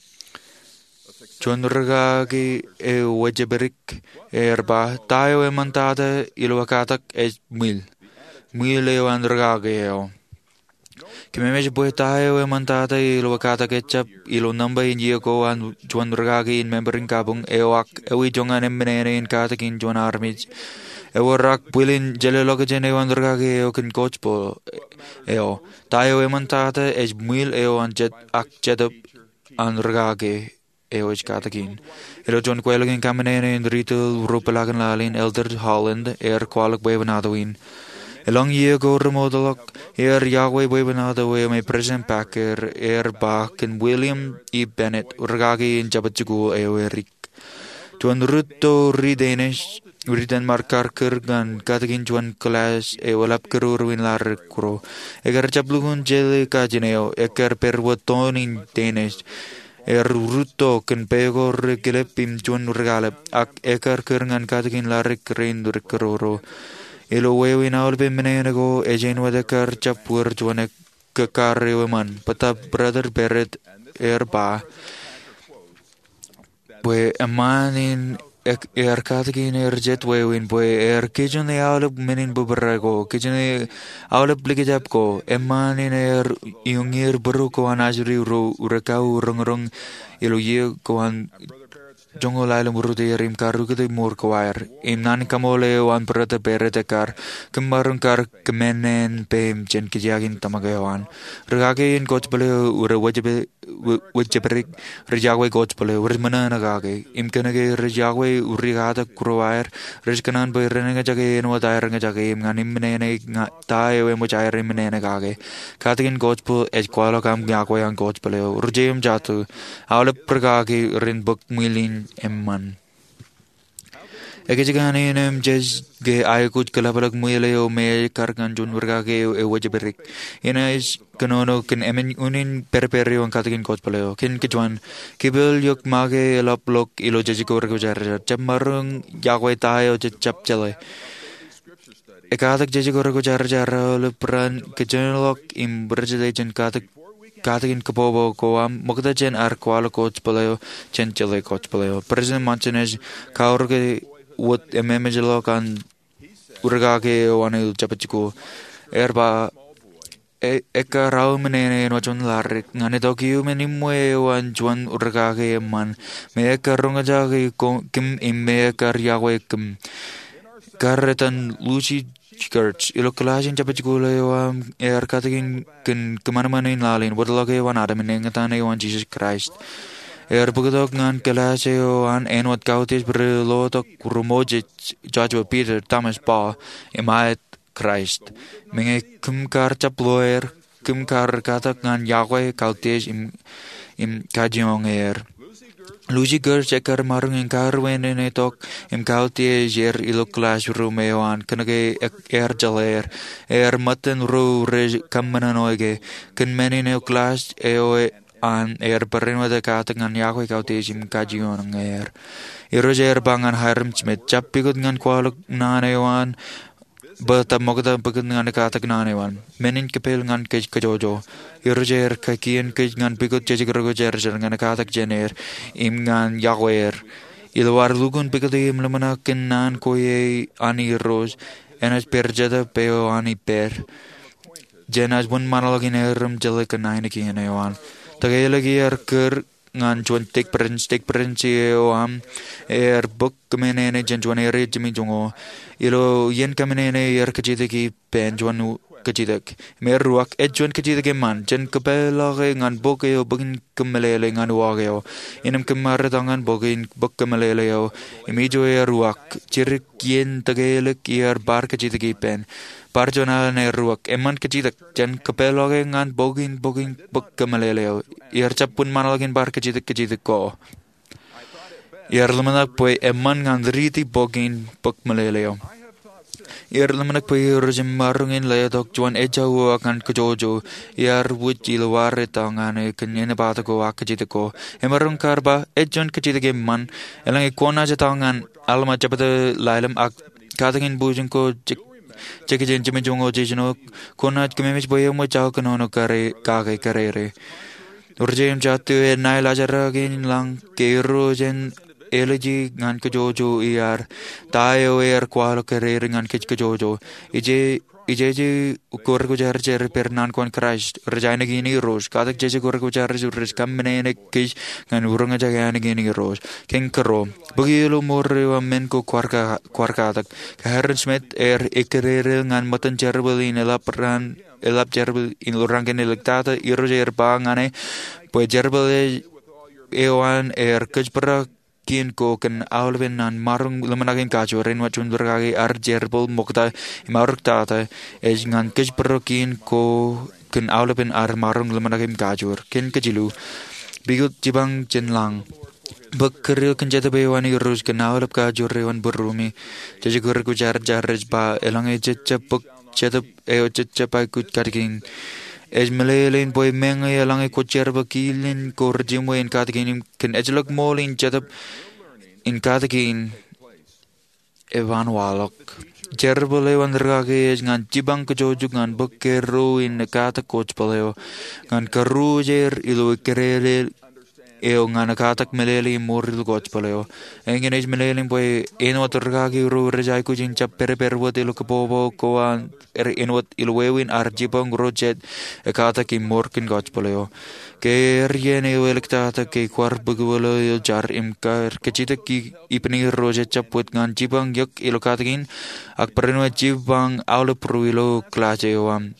Juon rūkaki eo wōjpidik er ba, ta eo eṃṃantata ilo ekatak ej ṃwiil. Ṃwiil eo an rūkaki eo. Kōmemej bwe ta eo eṃṃantata ilo ekatak ejjab ilo nōṃba in iiō ko an juon rūkaki in member in kabuñ eo ak ewi joñan eṃṃan ṇe in katakin juon armej ewōr ak bwilin jelōlọkjeṇ eo an rūkaki eo kōn gospel eo. Ta eo eṃṃantata ej ṃwiil eo an jet ak jetōb an rūkaki eo ej katakin. Ilo juon kweilọk in kaṃṃan ṇe in retail ruo peḷaakin laḷ in, Elder Holland ear kwaḷọk bwebwenato in. Elōñ iiō ko remootḷọk, ear yokwe bwebwenato eo me President Packer ear ba kōn William E. Bennett, rūkaki in Jabōt Jikuuḷ eo edik. Juon rūtto ri Danish ri Denmark kar kūr ñan katakin juon kilaaj eo eḷap kūrūrū in laḷ ri kūro. Ekar jab lukkuun jeḷā kajin eo, ekar pād wōt toon in Danish. Ear rūtto kōn peko ri kilep im juon ri kalep, ak ekar kūr ñan katakin laḷ ri kūro in ri kūrūrū. Ilo wāween aolep eṃṃan ṇe ko, ej āinwōt ekar jab wōr juon ekkar eo eṃṃan. Bōtab Brother Barrett ear ba bwe eṃṃan in ear katakin er jet wāween bwe ear kijenḷọk aolep men in bōbrae ko, kijenḷọk aolep likjab ko, eṃṃan in ear iuññier būruō ko an ajri ro rekau roñroñ ilo iiō ko an joñoul ḷalem rūtto ier im karukoti mour ko aer. Im naan kaṃool eo an Brother Barrett ekkar, kōm maroñ kar kōmānean peiṃ jān kōjeañ in tōmak eo an. Rūkaki in gospel eo rej wōjpidik, rej yokwe gospel eo, rej ṃōṇōṇō kake. Im kōnke rej yokwe ri katak kūro aer, rej kōṇaan bwe ren eñjake āinwōt aer eñjake im ñan eṃṃan ṇe ta eo eṃōj aer eṃṃan ṇe kake. Katakin gospel ej kwaḷọk aṃ yokwe an gospel eo. Ri-jeje im jatū, aolep rūkaki ren bōk ṃwiil in eṃṃan. Ekōjkan in eṃōj ke aikuj kōḷapḷọk ṃwiil eo me ej kar ñan juon rūkaki eo ewōjpidik. Inaaj kōnono kōn emān unin pedped eo an katakin gospel eo. Kōn kōjuon, kipel eok make eḷap ḷọk ilo jejako rekwōjarjar. Jab maroñ yokwe ta eo jej jab jeḷā. Ekatak jejako rekwōjarjar aolep ran kōjenolọk im rijete jān katak katakin kōbōbō ko aṃ ṃokta jān ad kwaḷọk gospel eo, jān jeḷā gospel eo. President Monson ej kaorōk wōt ememej ḷọk an rūkaki eo an ilo Jabōt Jikuuḷ. Ear ba, ekkar aō eṃṃan ṇe āinwōt juon laḷ ri kūro ñan itok iuṃwin iṃwe eo an juon rūkaki eṃṃan, me ekkar roñjake kōm im me ekkar yokwe kōm. Kar etan Lucy Gertsch. Ilo kilaaj in Jabōt Jikuuḷ eo aṃ, ear katakin kōn kōṃanṃan in laḷ in wōtlọk eo an Adam im eñtaan eo an Jisōs Kraist. Ear bōktok ñan kilaaj eo an āinwōt kautiej ri lotok ri Moses, Joshua, Peter, Thomas, Paul, im aet Kraist. Meñe kōm kar jab lawyer, kōm kar katak ñan yokwe, kautiej im, im kajjioñ er. Lucy Gertsch ekkar maroñ in karuwainenetok im kautiej er ilo classroom eo an kōnke ear jeḷā er. Ear ṃōttan ro rej kōṃṃan ṇe ke kōn men in eo class eo an ear barāinwōt katak ñan yokwe, kautiej im kajjioñ er. Irooj ear ba ñan Hyrum Smith, jab pukot ñan kwaḷọk naan eo an bōtab ṃokta pukot ñan katak naan eo an. Men in kōpel ñan kōj kōjwōjwōj. Irooj ear kakien kōj ñan pukot jejek rekwōjarjar ñan katak jān er im ñan yokwe er. Ilo ad lukkuun pukot im ḷōmṇak kōn naan ko an Irooj, enaaj pād Jetōb eo an ippād. Jenaaj wōnṃaanḷọk in erom jeḷā kōn ainikien eo an. Tōke ḷọk iar kūr ñan juon stake branch, stake branch eo aṃ ear bōk kōmāneneik jān juon area jiṃi joñoul. Ilo iien kōmāneneik ear kajjitōk ippān juon kajjitōk. Im eruak, ej juon kajjitōk eṃṃan, jen kōpeḷḷọke ñan bok eo bōk in kōmeḷeḷe ñan uwaak eo. Innām kōmmaroñ tok ñan bok in bōk kōmeḷeḷe eo im ijo eruak, jidik iien tōkelik iar bar kajjitōk ippān. Bar juon alen eruak, eṃṃan kajjitōk, jen kōpeḷḷọke ñan bok in bōk in bōk kōmeḷeḷe eo. Iar jab wōnṃaanḷọk in bar kajjitōk kajjitōk ko. Iar ḷōmṇak bwe eṃṃan ñan riiti bok in bōk meḷeḷe eo. Iar ḷōmṇak bwe Irooj ej maroñ in letok juon ejja uwaak ñan kōjwōjwo. Iar wūj ilo wōr etto ñan e kōn enaaj bōktok uwaak kajjitōk ko. Emaroñ kar ba, ej juon kajjitōk eṃṃan. Eḷaññe kwōnaaj etto ñan Alma jebta ḷalem ak katakin bujen ko jekjek jān jemān joñoul jiljino, kwōnaaj kōmemej bwe eṃōj aō kōnono kake kōrere. Rijjim jatū enaaj laajrak in lañ ke Irooj en āliji ñan kōjwōjwo iar, ta eo ear kwaḷọk kōrere ñan kōjwōjwo. Ije, ijeje kōrā kwōjarjar ippān naan ko an Kraist, rej ainikien Irooj. Katak jeje kōrā kwōjarjar rej kōṃṃane kōj ñan roñjake ainikien Irooj. Kein kōrā, bōki ilo mour eo aṃ men ko kwaar ka-, kwaar katak. Kōrā in Smith ear ekkere ñan ṃōttan jerbal in eḷap raan eḷap jerbal in lorrāān kōn iliktata. Irooj ear ba ñan e bwe jerbal eo an ear kōjparok kien ko kōn aolepen an maroñ ḷōmṇak im kajoor. Āinwōt juon rūkaki, ad jerbal ṃokta im aorōktata ej ñan kōjparok kien ko kōn aolepen ad maroñ ḷōmṇak im kajoor. Kein kajilu, pukot jipañ jān lañ, bōk kūr eo kōn Jetōb eo an Irooj kōn aolep kajoor eo an būruemi. Jeje kōrā kwōjarjar ej ba, eḷaññe jej jab bōk Jetōb eo jej jab aikuj katakin, ej meḷeḷein bwe meñe eḷaññe kwōj jerbal kilin ko rejiṃwe in katakin im kōn ejjeḷọk ṃool in Jetōb in katakin, eban waḷọk. Jerbal eo an rūkaki ej ñan jipañ kōjwōjwo ñan bōk kōrā in ekkatak gospel eo, ñan karuuj er ilo ekkere eo ñan ekkatak meḷeḷe im mour ilo gospel eo. Eñin ej meḷeḷein bwe āinwōt rūkaki ro rej aikuj in jab pedped wōt ilo kōpopo ko an, āinwōt ilo wāween ad jipañ ro jet ekkatak im mour kōn gospel eo. Ke ear iien eo iliktata ke kwaar bōk uwilo ilo jar im kwaar kajjitōk ippān Irooj, ejjab wōt ñan jipañ eok ilo katakin, ak barāinwōt jipañ aolep ro ilo kilaaj eo aṃ.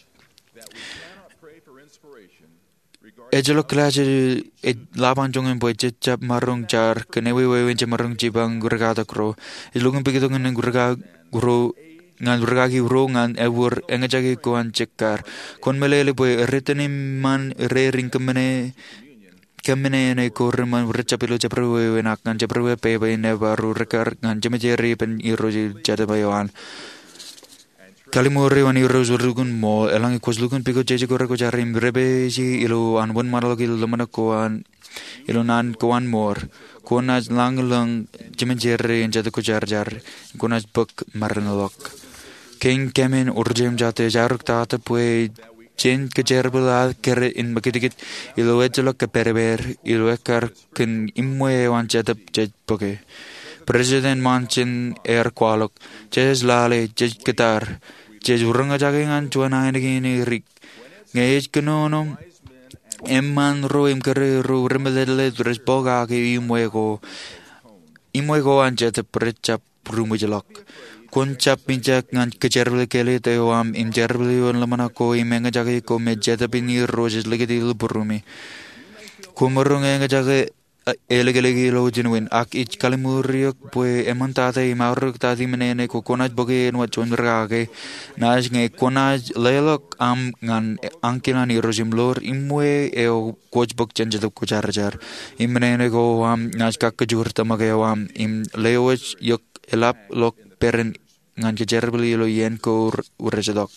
Ejjeḷọk kilaaj ej ḷap an joñan bwe jej jab maroñ jar kōn ewi wāween jemaroñ jipañ rūkaki ro. Ej lukkuun pukot ñan rūkaki ro, ñan rūkaki ro ñan ewōr eñjake ko an jekkar. Kwōn meḷeḷe bwe rej itōn eṃṃan rein kōṃṃane, kōṃṃane ṇe ko reṃṃan rej jab ilo jabdewōt wāween ak ñan jabdewōt pepe in ebar ro rekkar ñan jeṃjerein ippān Irooj im Jetōb eo an. Kalliṃur eo an Irooj lukkuun ṃool. Eḷaññe kwōj lukkuun pukot jeje kōrā kwōjarjar im dāpiji ilo an wōnṃaanḷọk ilo ḷōmṇak ko an, ilo naan ko an mour, kwōnaaj lañlōñ jeṃjerei in Jetōb Kwōjarjar. Kwōnaaj bōk maroñḷọk. Kein kōmin, rijjim jatū ej aorōktata bwe jen kōjerbal ad kōrā in ṃakūtkūt ilo ejjeḷọk kōpedped ilo ekkar kōn iṃwe eo an Jetōb jej bōke. President Monson ear kwaḷọk, jej lale, jej kōttar, jej roñjake ñan juon ainikien dik. Ñe ej kōnono, eṃṃaan ro im kōrā ro remeḷeḷe rej pokake iṃwe ko, iṃwe ko an Jetōb rej jab ruṃwijḷọk. Kwōn jab mijak ñan kōjerbale kāālōt eo aṃ im jerbale ioon ḷōmṇak ko im eñjake ko me Jetōb in Irooj ej likūt ilo būruemi. Kwōmaroñ eñjake, e, ālikin ilo jinen wāween, ak ij kalliṃur eok bwe eṃṃantata im aorōktata im meñe ko kwōnaaj bōke āinwōt juon rūkaki. Naaj ñe kwōnaaj leḷọk aṃ ñan ankilin Irooj im ḷoor iṃwe eo kwōj bōk jān Jetōb Kwōjarjar. Im meñe ko aṃ naaj kakkōjur tōmak eo aṃ im lewōj eok eḷapḷọk peran ñan kōjerbale ilo iien ko rej itok.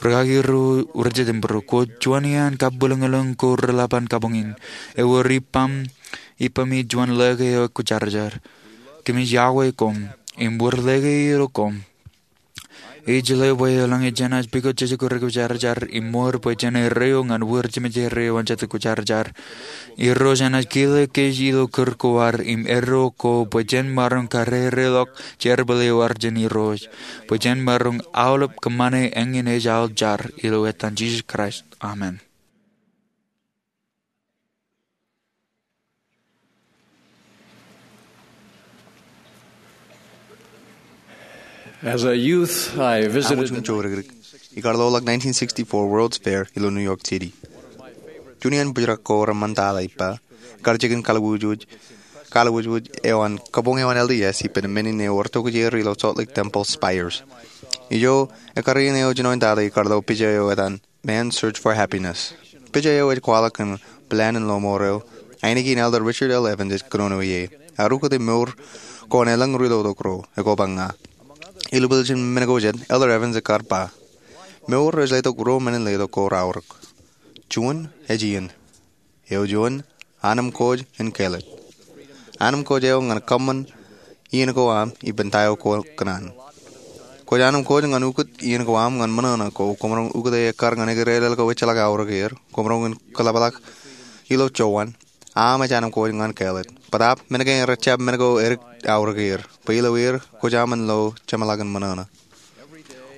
Rūkaki ro rej itok im būruō, kwōj juon iaan kabwilōñlōñ ko reḷap an kabuñ in. Ewōr ippaṃ, ippaṃ ij juon lōke eo kwōjarjar. Kōmij yokwe koṃ im wōr lōke ilo koṃ. Ij lewōj bwe eḷaññe jenaaj pukot jeje kōrā kwōjarjar im mour bwe jen erreo ñan wōr jeṃjerei eo an Jetōb Kwōjarjar, Irooj enaaj kile kōj ilo kūr ko ad im erreo ko bwe jen maroñ karereḷọk jerbal eo ad jān Irooj, bwe jen maroñ aolep kōṃṃane. Eñin ej aō jar ilo etan Jisōs Kraist. Amen. As a youth, I visited Aṃ wōj im jouj dik. Ikar ḷoḷḷọk nineteen sixty-four World's Fair ilo New York City. Juon iaan bōjrak ko reṃṃan tata ippa, kar jikin kaliwujuj, kaliwujuj eo an kabuñ eo an L D S ippān men in eo rej tokjāer ilo Salt Lake Temple spires. Ijo, ekkar iien eo jinoin tata ikar ḷo pija eo etan Man's Search for Happiness. Pija eo ej kwaḷọk kōn plan in lọmọọr eo ainikien Elder Richard L. Evans ej kōnono ie. Ear ukōte mour ko an elōñ ri lotok ro, ekōpar ña. Ilo pojak in men ko jet, Elder Evans ekkar ba, mour ej letok ruo men in letok ko raorōk. Juon ej iien. Eo juon, anemkwōj in kāālōt. Anemkwōj eo ñan kōṃṃan iien ko aṃ ippān ta eo kwōj kōṇaan. Kwōj anemkwōj ñan ukōt iien ko aṃ ñan ṃōṇōṇō ko, koṃ roñ ukōte ekkar ñan ekirelel ko ejjeḷọk aorōk er, koṃ roñ in kōḷapḷọk ilo jowan, aṃ ej anemkwōj ñan kāālōt. Bōtaab men kein rej jab men ko edik aorōk er, bwe ilo er kwōj aṃ in lo jeṃḷọkin ṃōṇōṇō.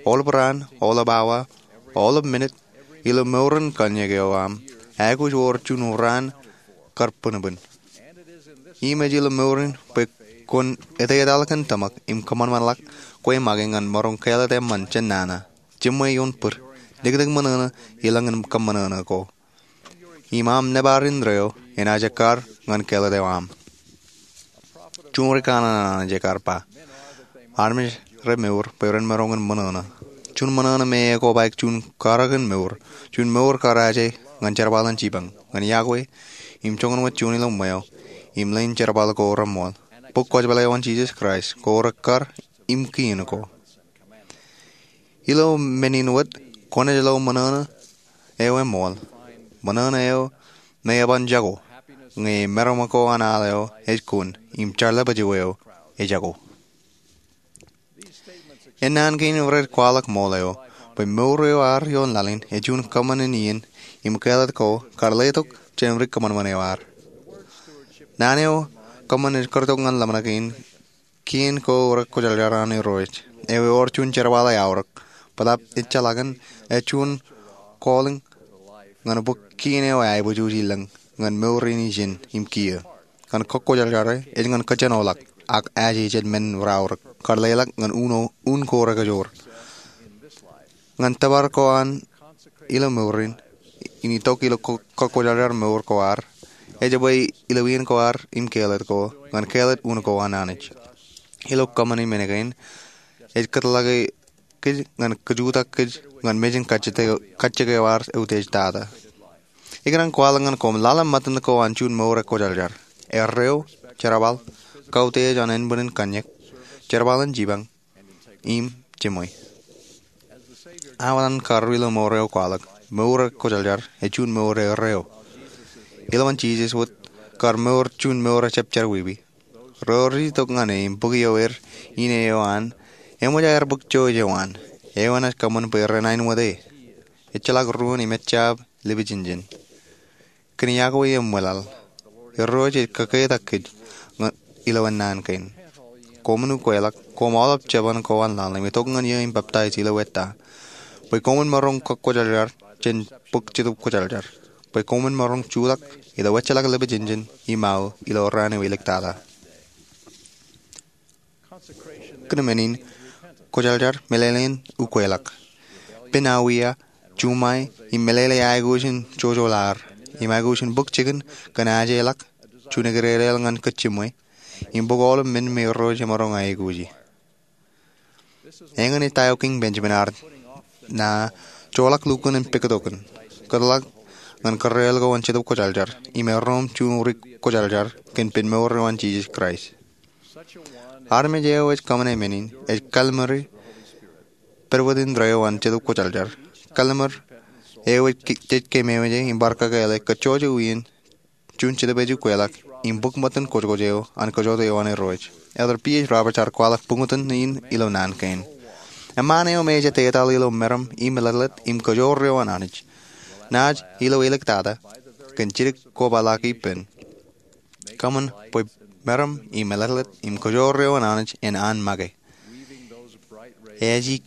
Aolep raan, aolep awa, aolep minit, ilo mour in kōnnaan eo aṃ, aikuj wōr juon raan kar bōnbōn. Im ej ilo mour in bwe kwōn etetal kōn tōmak im kōṃanṃanḷọk kwe make ñan maroñ kāālōt eṃṃan jān nana, jiṃwe ioon bōd, dikdik ṃōṇōṇō, elōñ in kōṃṃōṇōṇō ko. Im aṃ nōbar indeeo enaaj ekkar ñan kāālōt eo aṃ. Juon ri kanaan Anij ekkar ba, armej re mour bwe ren maroñ in ṃōṇōṇō. Juon ṃōṇōṇō me ekobaik juon karōk in mour, juon mour kar aje ñan jerbal in jipañ, ñan yokwe, im joñan wōt juon ilo ṃweo, im leen jerbal ko reṃool. Bōk kwōjeḷā eo an Jisōs Kraist ko rekkar im kien ko. Ilo men in wōt, kwōnaaj lo ṃōṇōṇō eo eṃool. Ṃōṇōṇō eo me eban jako, ñe meram ko an al eo ej kun, im jarlepāj eo ej jako. Ennaan kein rej kwaḷọk ṃool eo, bwe mour eo ad ioon laḷ in ej juon kōṃṃan in iien, im kāālōt ko kar letok jān ri kōṃanṃan eo ad. Naan eo kōṃṃan ej kar tok ñan ḷōmṇak in kien ko rekwōjarjar an Irooj, eo ewōr juon jerbal eaorōk, bōtaab ejjeḷọkin ej juon calling ñan bōk kien eo aiboojoj ilōñ ñan mour in ijin im kiiō. Ñan kakwōjarjar ej ñan kōjenoḷọk ak aje jān men raorōk kar leḷọk ñan un ko rekajoor. Ñan tōpar ko an ilo mour in, in itok ilo kakwōjarjar mour ko ad, ej bwe ilo iien ko ad im kāālōt ko, ñan kāālōt un ko an Anij. Ilo kōṃṃani men kein, ej kōtḷọk kōj ñan kajutak kōj ñan mejān kajjitōk eo ad eutiej tata. Ikōṇaan kwaḷọk ñan koṃ laḷ im ṃōttan ko an juon mour ekwōjarjar. Erreo, jerbal, kautiej an ānbwinnin kōnnaan, jerbal in jipañ, im jiṃwe. Aō etan kar ri lọmọọr eo kwaḷọk, mour ekwōjarjar ej juon mour erreo. Ilowaan Jisōs wōt kar mour juon mour ejjab jerọwiwi. Ro rej itok ñan e im bōk ioer in eo an, eṃōj aer bōk jouj eo an, eo enaaj kōṃṃan bwe ren aenwōt e. Ejjeḷọk ruōn im ejjab lipij injen. Kōn yokwe im ṃwilaḷ, Irooj ej kōketak kōj ilo naan kein. Koṃwin ukeḷọk, koṃ aolep jeban ko an laḷ, im itok ñan eō im peptaij ilo eta, bwe koṃwin maroñ kakwōjarjar jān bōk Jetōb Kwōjarjar, bwe koṃwin maroñ jutak ilo ejjeḷọk lipij injen im aō ilo raan eo iliktata. Kōn men in, kwōjarjar meḷeḷein ukeḷọk. Pen awiia, juṃae, im meḷeḷe aikuj in jojoḷ ad, im aikuj in bōk jikin kōn ajeḷọk, juon ekirerel ñan kōj jiṃwe, im bōk aolep men me Irooj emaroñ aikuji. Eñin ej ta eo Kiiñ Benjamin ear na joḷọk lukkuun im pāktokin, kōtḷọk ñan kōrreoḷ ko an Jetōb Kwōjarjar, im erom juon ri kwōjarjar kōn pen mour eo an Jisōs Kraist. Armej eo ej kōṃṃane men in, ej kallim̧ur pedwōd indeeo an Jetōb Kwōjarjar. Kallim̧ur eo ej ke-, jej keememej e im bar kakōḷḷe kōj jojak wien juon Jetōb ej ukeḷọk im bōk ṃōttan kōjkōj eo an kōjot eo an Irooj. Elder P. H. Roberts ear kwaḷọk buñtōn in ilo naan kein. Eṃṃaan eo me ej etetal ilo meram im meḷeḷet im kōjoor eo an Anij, naaj ilo iliktata, kōn jidik kobaḷọk ippān, kōṃṃan bwe meram im meḷeḷet im kōjoor eo an Anij en an make. Ej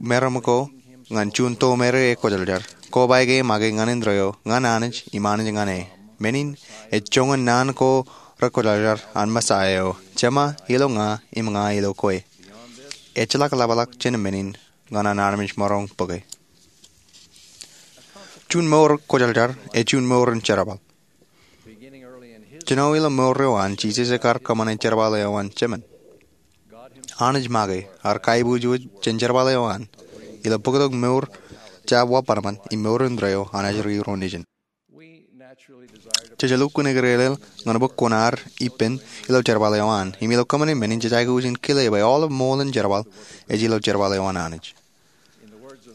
meram ko ñan juon tomereik ekwōjarjar, kobaik e make ñan indeeo, ñan Anij im Anij ñan e. Men in ej joñan naan ko rekwōjarjar an Mesaia eo, Jema ilo ña im ña ilo kwe. Ejjeḷọk ḷapḷọk jān men in, ñan an armej maroñ bōke. Juon mour kwōjarjar ej juon mour in jerbal. Jino ilo mour eo an, Jisōs ekar kōṃṃane jerbal eo an Jemān. Anij make ear kaiboojoj jān jerbal eo an ilo bōktok mour jab wabanban im mour indeeo an ajri ro nejin. Jej lukkuun eklelel ñan bōk kuṇaar ippān ilo jerbal eo an. Im ilo kōṃṃane men in jej aikuj in kile bwe aolep ṃool in jerbal ej ilo jerbal eo an Anij.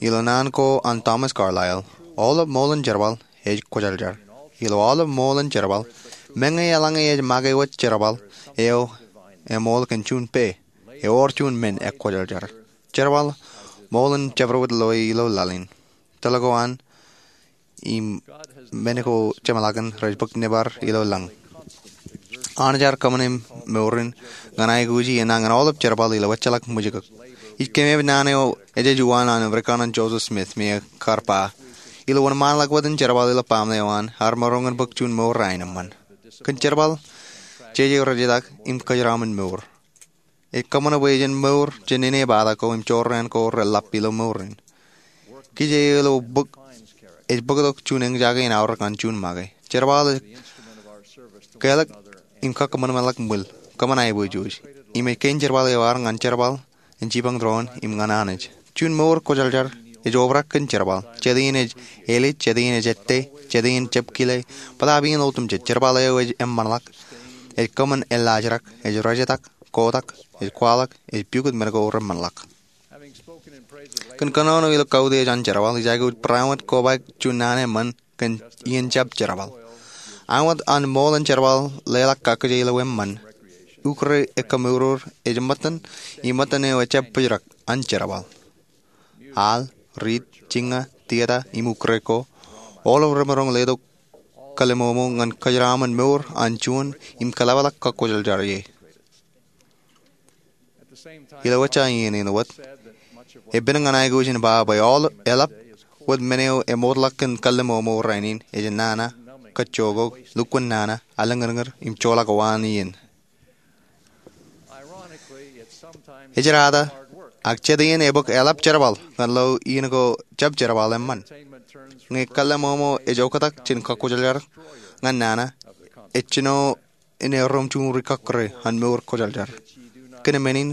Ilo naan ko an Thomas Carlyle, aolep ṃool in jerbal ej kwōjarjar. Ilo aolep ṃool in jerbal, meñe eḷaññe ej make wōt jerbal eo eṃool kōn juon pā, ewōr juon men ekwōjarjar. Jerbal ṃool in jabdewōt loe ilo laḷ in. Tōl ko an im men ko jeṃḷọkin rej bōk nōbar ilo lañ. Anij ear kōṃṃane mour in ñan aikuji enañin aolep jerbal ilo ejjeḷọk ṃwijkōk. Ij kememej naan eo ejej uwaan an Rikān an Joseph Smith me ekar ba, ilo wōnṃaanḷọk wōt in jerbal ilo baaṃle eo an, ear maroñ in bōk juon mour aenōṃṃan. Kōn jerbal, jeje rejetak im kōjeraṃṃan mour. Ej kōṃṃan bwe jen mour jān inepata ko im jorrāān ko reḷap ilo mour in. Kije eo ilo bōk, ej bōktok juon eñjake in aorōk ñan juon make. Jerbal ej kelọk im kakōṃanṃanḷọk ṃwil, kōṃṃan aiboojoj. Im ej kein jerbal eo ear ñan jerbal in jipañ doon im ñan Anij. Juon mour kwōjarjar ej obrak kōn jerbal. Jet iien ej elij, jet iien ej ettā, jet iien jab kile, bōtaab iien otemjej, jerbal eo ej eṃṃanḷọk, ej kōṃṃan ellaajrak, ej rejetak, kotak, ej kwaḷọk, ej pukot men ko reṃṃanḷọk. Kōn kōnono ilo kautiej an jerbal, ij aikuj bareinwōt kobaik juon naan eṃṃan kōn iien jab jerbal. Āinwōt an ṃool in jerbal leḷọk kakkije ilo eṃṃan, ukōre ekkōmour ej ṃōttan, im ṃōttan eo ejjab bōjrak an jerbal. Al, riit, jiña, tieta, im ukōre ko, aolep remaroñ letok kalliṃomo ñan kōjeraṃṃan mour an juon im kōḷapḷọk kakwōjarjar ie. Ilo ejja iien in wōt, epen ñan aikuj in ba bwe aolep, eḷap wōt men eo eṃootḷọk kōn kalliṃomo rainin ej nana, kajjookok, lukkuun nana, aliñirñir, im joḷọk waan iien. Ejirata, ak jet iien ebōk eḷap jerbal ñan lo iien ko jab jerbal eṃṃan. Ñe kalliṃomo ej oktak jān kakwōjarjar ñan nana, ej jino in erom juon ri kọkkure an mour kwōjarjar. Kōn men in,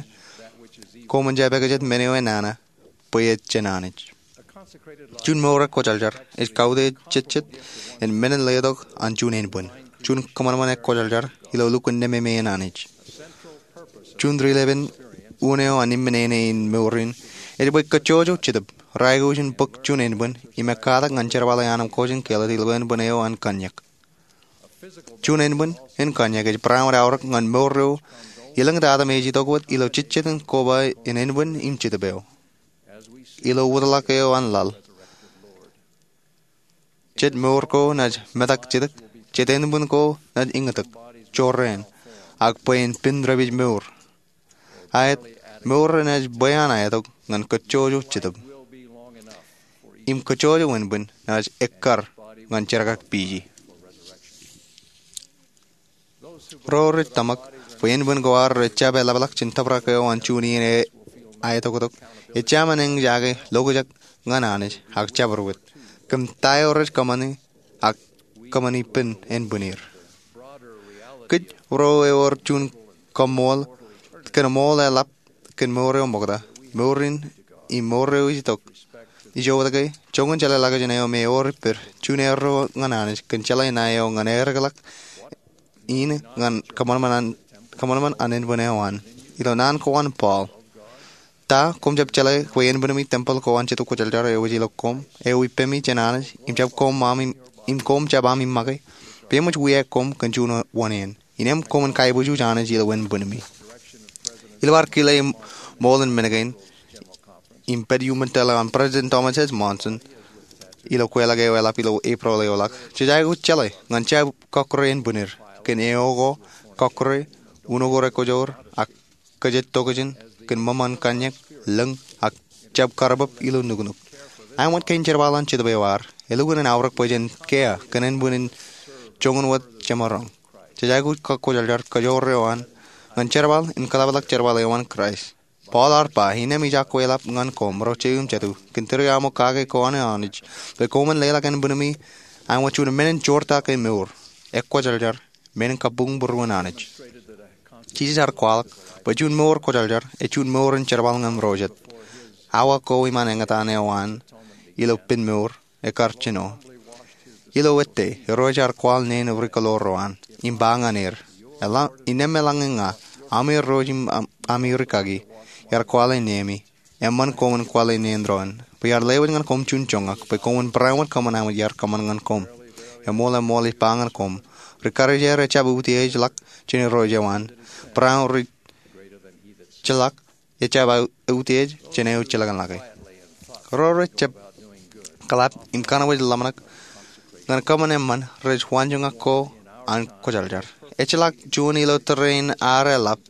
koṃwin jab ekajet men eo enana, bwe ej jān Anij. Juon mour ekwōjarjar ej kautiej jejjet in men in letok an juon ānbwin. Juon kōṃanṃan ekwōjarjar ilo lukkuun nememe in Anij. Juon rilepen unin eo an ippān āne in mour in ej bwe kōjjojo jetōb reaikuj in bōk juon ānbwin im ekkatak ñan jerbal eo an im kōjin kāālōt ilo ānbwin eo an kanniōk. Juon ānbwin in kanniōk ej bareinwōt aorōk ñan mour eo elōñ tata me ej itok wōt ilo jejjet in koba in ānbwin im jetōb eo. Ilo wōtlọk eo an laḷ, jet mour ko naaj metak jidik, jet ānbwin ko naaj iñitak, jorrāān, ak bwe en pen rej pād mour. Aet, mour renaaj bwe an aetok ñan kōjjojo jetōb. Im kōjjojo ānbwin naaj ekkar ñan jerkakpeje. Ro rej tōmak bwe ānbwin ko ad rej jab eḷapḷọk jān tōprak eo an juon iien aetoktok, ejāmin eñjake lokjak ñan Anij ak jabdewōt kōn ta eo rej kōṃṃane ak kōṃṃani ippān ānbwin er. Kōj ro ewōr juon kaṃṃool kōn ṃool eḷap kōn mour eo ṃokta, mour in im mour eo ej itok. Ijo wōt ke, joñan jeḷā ḷọkjeṇ eo me ewōr ippād, juon erro ñan Anij kōn jeḷā ṇae eo ñan eddekḷọk in ñan kōṃanṃan an, kōṃanṃan an ānbwin eo an. Ilo naan ko an Paul, ta, koṃ jab jeḷā bwe ānbwinmi tempel ko an Jetōb Kwōjarjar eo ej ilo koṃ, eo ippemi jān Anij, im jab koṃ ami, im koṃ jab ami make? Bwe eṃōj wiaik koṃ kōn juon wōṇāān. Innām koṃwin kaiboojoj Anij ilo ānbwinmi. Ilo ad kile ṃool in men kein im pād iuṃwin tōl eo an President Thomas S. Monson ilo kweilọk eo eḷap ilo Epril eoḷọk, jej aikuj jeḷā ñan jab kọkkure ānbwin er kōn eo ko kọkkure, uno ko rekwojoor, ak kōjatdọkjeṇ kōn ṃōṃan kanniōk, lōñ, ak jab karbab ilo nuknuk. Āinwōt kein jerbal an Jetōb eo ad, elukkuun en aorōk bwe jen kiiō kōn ānbwin in joñan wōt jemaroñ. Jej aikuj kakwōjarjar kōjoor eo an ñan jerbal in kōḷapḷọk jerbal eo an Kraist. Paul ear ba, innām ij akwālōk ñan koṃ ro jeiū im jatū kōn tūriaṃo kake ko an Anij, bwe koṃwin leḷọk ānbwinmi āinwōt juon men in joortak e mour, ekwōjarjar, men in kabuñ būruon Anij. Jisōs ear kwaḷọk bwe juon mour kwōjarjar ej juon mour in jerbal ñan ro jet. Awa ko iṃaan eñtaan eo an ilo pen mour ekar jino. Ilo ettā, Irooj ear kwaḷ neen rikōḷḷoor ro an im ba ñan er, innām eḷaññe ña, ami Irooj im ami rikaki, iar kwaḷe neemi, eṃṃan koṃwin kwaḷe neen doon, bwe iar lewōj ñan koṃ juon joñak bwe koṃwin bareinwōt kōṃṃan āinwōt iar kōṃṃan ñan koṃ. Eṃool, eṃool ij ba ñan koṃ, ri karijer ejjab utiejḷọk jān Irooj eo an, bareinwōt ri jilọk ejjab utiej jān eo jilkinḷọke. Ro rej jab kōḷap im kōṇaan ḷōmṇak ñan kōṃṃan eṃṃan rej waanjoñak ko an kwōjarjar. Ejjeḷọk juon ilo tōre in ad eḷap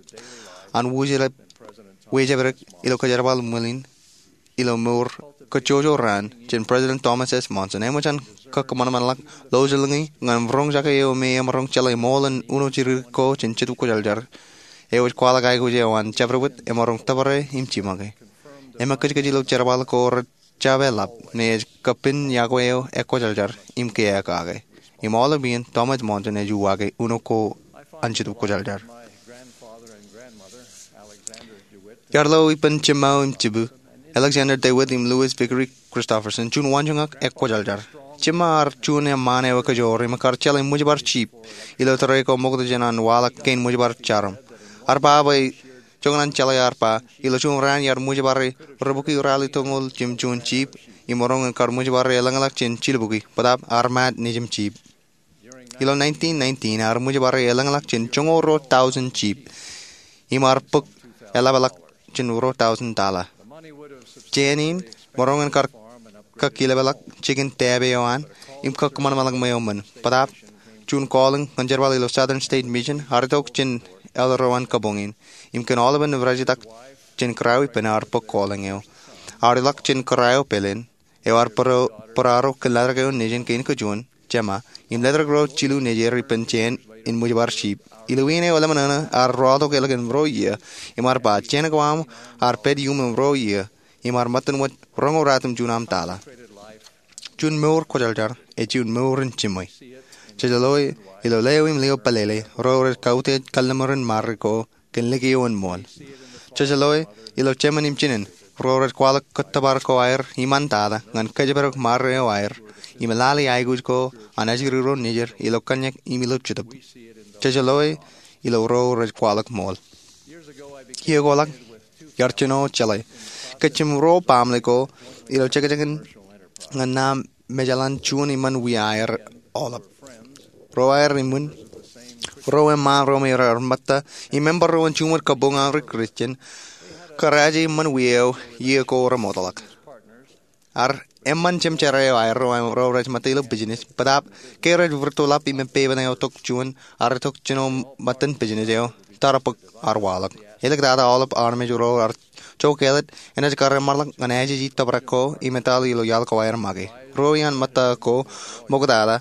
an wōjepdik ilo kōjerbal ṃwiin ilo mour kōjjojo raan jān President Thomas S. Monson. Eṃōj an kōkōṃanṃanḷọk lọjilñi ñan roñjake eo me emaroñ jeḷā ṃool in uno jidik ko jān Jetōb Kwōjarjar eo ej kwaḷọk aikuj eo an jabdewōt emaroñ tōpare im jiṃake. Im ekkōjkōj ilo jerbal ko rej jab eḷap me ej kōpin iọkwe eo ekwōjarjar im kiiō kake. Im aolep iien Thomas Monson ej uwaake uno ko an Jetōb Kwōjarjar. Iar lo ippān jiṃṃa eo im jibū, Alexander DeWitt im Louis Vickery Christofferson, juon waanjoñak ekwōjarjar. Jiṃṃa ear juon eṃṃaan eo ekajoor im ekar jeḷā ṃwijbar jip ilo tōre ko ṃokta jān an waḷọk kein ṃwijbar jarom. Ear ba bwe joñan an jeḷā ear ba, ilo juon raan iar ṃwijbare ri bukwi ralitōñoul jimjuon jip im maroñ in kar ṃwijbare elōñḷọk jān jilbukwi, bōtaab ear maat nejim jip. Ilo nineteen nineteen ear ṃwijbare elōñḷọk jān joñoul ruo tọujin jip im ear bōk eḷapḷọk jān ruo tọujin tala. Jān in maroñ in kar kōkkilepḷọk jikin taabe eo an im kōkōṃanṃanḷọk ṃweo ṃōn, bōtaab juon calling ñan jerbal ilo Southern State Mission. Ear itok jān elder eo an kabuñ in im kōn aolepen rej itak jān kōrā eo ippān ear bōk calling eo. Ear ilọk jān kōrā eo pāleen eo ear būraaro kōn letrōk eo nejin kein kajuon, Jema, im letrōk ro jilu nejier ippān jān in ṃwijbar jip. Ilo iien eo ḷōmṇak eṇ ear ruwaaktok ālikin ruo iiō im ear ba jān ko aṃ ear pād iuṃwin ruo iiō im ear ṃōttan wōt roñoul ratimjuon aṃ tala. Juon mour kwōjarjar ej juon mour in jiṃwe. Jej loe ilo leo im leo pālele ro rej kautiej kalliṃur in marri ko kōn liki eo in ṃool. Jej loe ilo jemān im jinen ro rej kwaḷọk kōttōpar ko aer iṃaan tata ñan kōjparok marri eo aer im lale aikuj ko an ajri ro nejid ilo kōnnyak im ilo jetōb. Jej loe ilo ro rej kwaḷọk ṃool. Iiō ko ḷọk iar jino jeḷā kōj im ro baaṃle ko ilo jekjekin ñan naan mejaḷ an juon iṃaan wiaer aolep. Ro aer iṃwin, ro eṃṃaan ro me raar ṃōtta im member ro an juṃae kabuñ an ri Kristian, kōrā jān iṃaan wiaer eo iiō ko remootḷọk. Ear eṃṃan jemjerā eo aer ro rej ṃōtta ilo business, bōtaab ke rej rūttoḷap im epepen eo tok juon, ear itok jino ṃōttan business eo, tara bōk ear waḷọk. Āliktata aolep armej ro ear jokālet enaaj kar eṃṃanḷọk ñan ajej tōprak ko im etal ilo iaḷ ko aer make. Ro iaan ṃōtta ko ṃoktata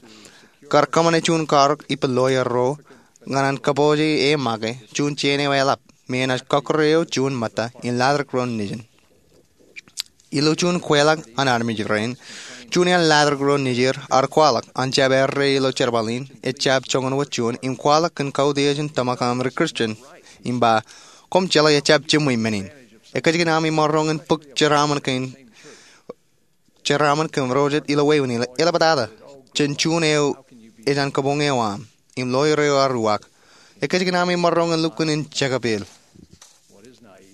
kar kōṃṃane juon karōk ippān lawyer ro ñan an kōpooje e make juon jān eo eḷap me enaaj kọkkure eo juon ṃōtta in latrōk ro nejin. Ilo juon kweilọk an armej rein, juon iaan latrōk ro nejid ear kwaḷọk an jab errā ilo jerbal in ejjab joñan wōt juon im kwaḷọk kōn kautiej in tōmak an ri Kristian im ba, koṃ jeḷā ejjab jiṃwe men in. Ekōjkan aṃ imaroñ in bōk jeraaṃṃan kōn jeraaṃṃan kōn ro jet ilo wāween in eḷaptata jān juon eo ej an kabuñ eo aṃ. Im lawyer eo ear uwaak, ekōjkan aṃ imaroñ in lukkuun in jekabeel.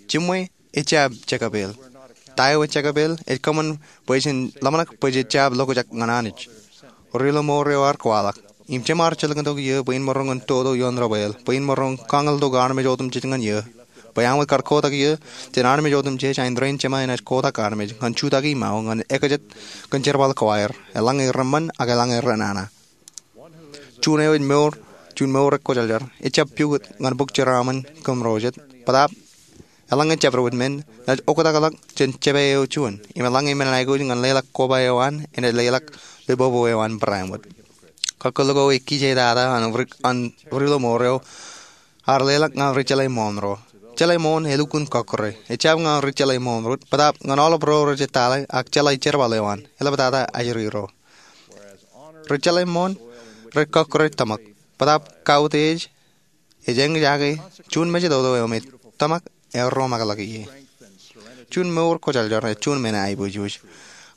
Jiṃwe ejjab jekabeel. Ta eo ejekabeel ej kōṃṃan bwe jen ḷōmṇak bwe jej jab lokjak ñan Anij. Ri-lọmọọr eo ear kwaḷọk, im jema ar jilkintok iiō bwe in maroñ in toto ioon debwāāl, bwe in maroñ kañiltok armej otemjej ñan iiō, bwe āinwōt kar kotak iiō jān armej otemjej, āindein jema enaaj kotak armej ñan jutak iṃao ñan ekajet kōn jerbal ko aer, eḷaññe reṃṃan ak eḷaññe renana. Juon eo ej mour, juon mour ekwōjarjar, ejjab pukot ñan bōk jeraaṃṃan kōn ro jet, bōtaab eḷaññe jabdewōt men, enaaj oktakḷọk jān jepā eo juon, im eḷaññe men in aikuj ñan leḷọk koba eo an, enaaj leḷọk libobo eo an barāinwōt. Kakkōl ko ej kijeitata an ri-, an ri-lọmọọr eo ear leḷọk ñan ri jeḷā ṃool ro. jeḷā ṃoon elukkuun kọkkure. Ejjab ñan ri jeḷā ṃoon rot, bōtaab ñan aolep ro rej ettale ak jeḷā jerbal eo an. Eḷaptata ajri ro. Ri jeḷā ṃoon rej kọkkure tōmak, bōtaab kautiej ej eñjake juon mejatoto eo me tōmak erro ṃakḷọk ie. Juon mour kwōjarjar ej juon men aiboojoj.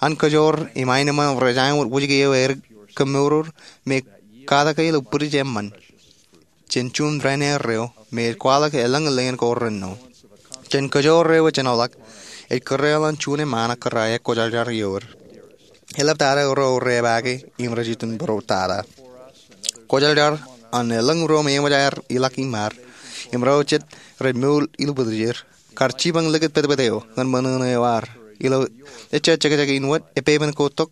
An kōjoor im aenōṃṃan rej aenwōt wōjke eo aer kōmour me katak ilo bwidej eṃṃan jān juon raan erreo me ej kwaḷọk elōñ lien ko renno. Jān kōjoor eo ej jenoḷọk, ej kōrreoḷọk juon eṃṃaan ak kōrā ekwōjarjar ioer. Eḷaptata ro repaake im rej itok būruōtata. Kwōjarjar an elōñ ro me eṃōj aer ilọk iṃaad im ro jet rej mour ilo bwidej er, kar jipañ likūt petpet eo ñan ṃōṇōṇō eo ad. Ilo ejja jekjek in wōt, epepen ko tok,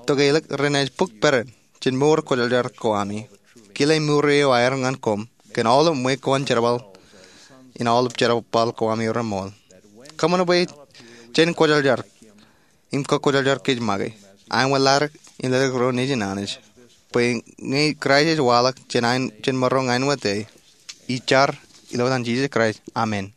tok elōk renaaj bōk peran jān mour kwōjarjar ko ami. Kile mour eo aer ñan koṃ kōn aolep ṃwe ko an jerbal in aolep jerbal ko ami reṃool. Kōṃṃan bwe jen kwōjarjar im kakwōjarjar kōj make. Aenwōt ḷaddik im ledik ro nejin Anij, bwe ñe Kraist ej waḷọk jān aen, jān maroñ aenwōt e. Ij jar ilo etan Jisōs Kraist, amen.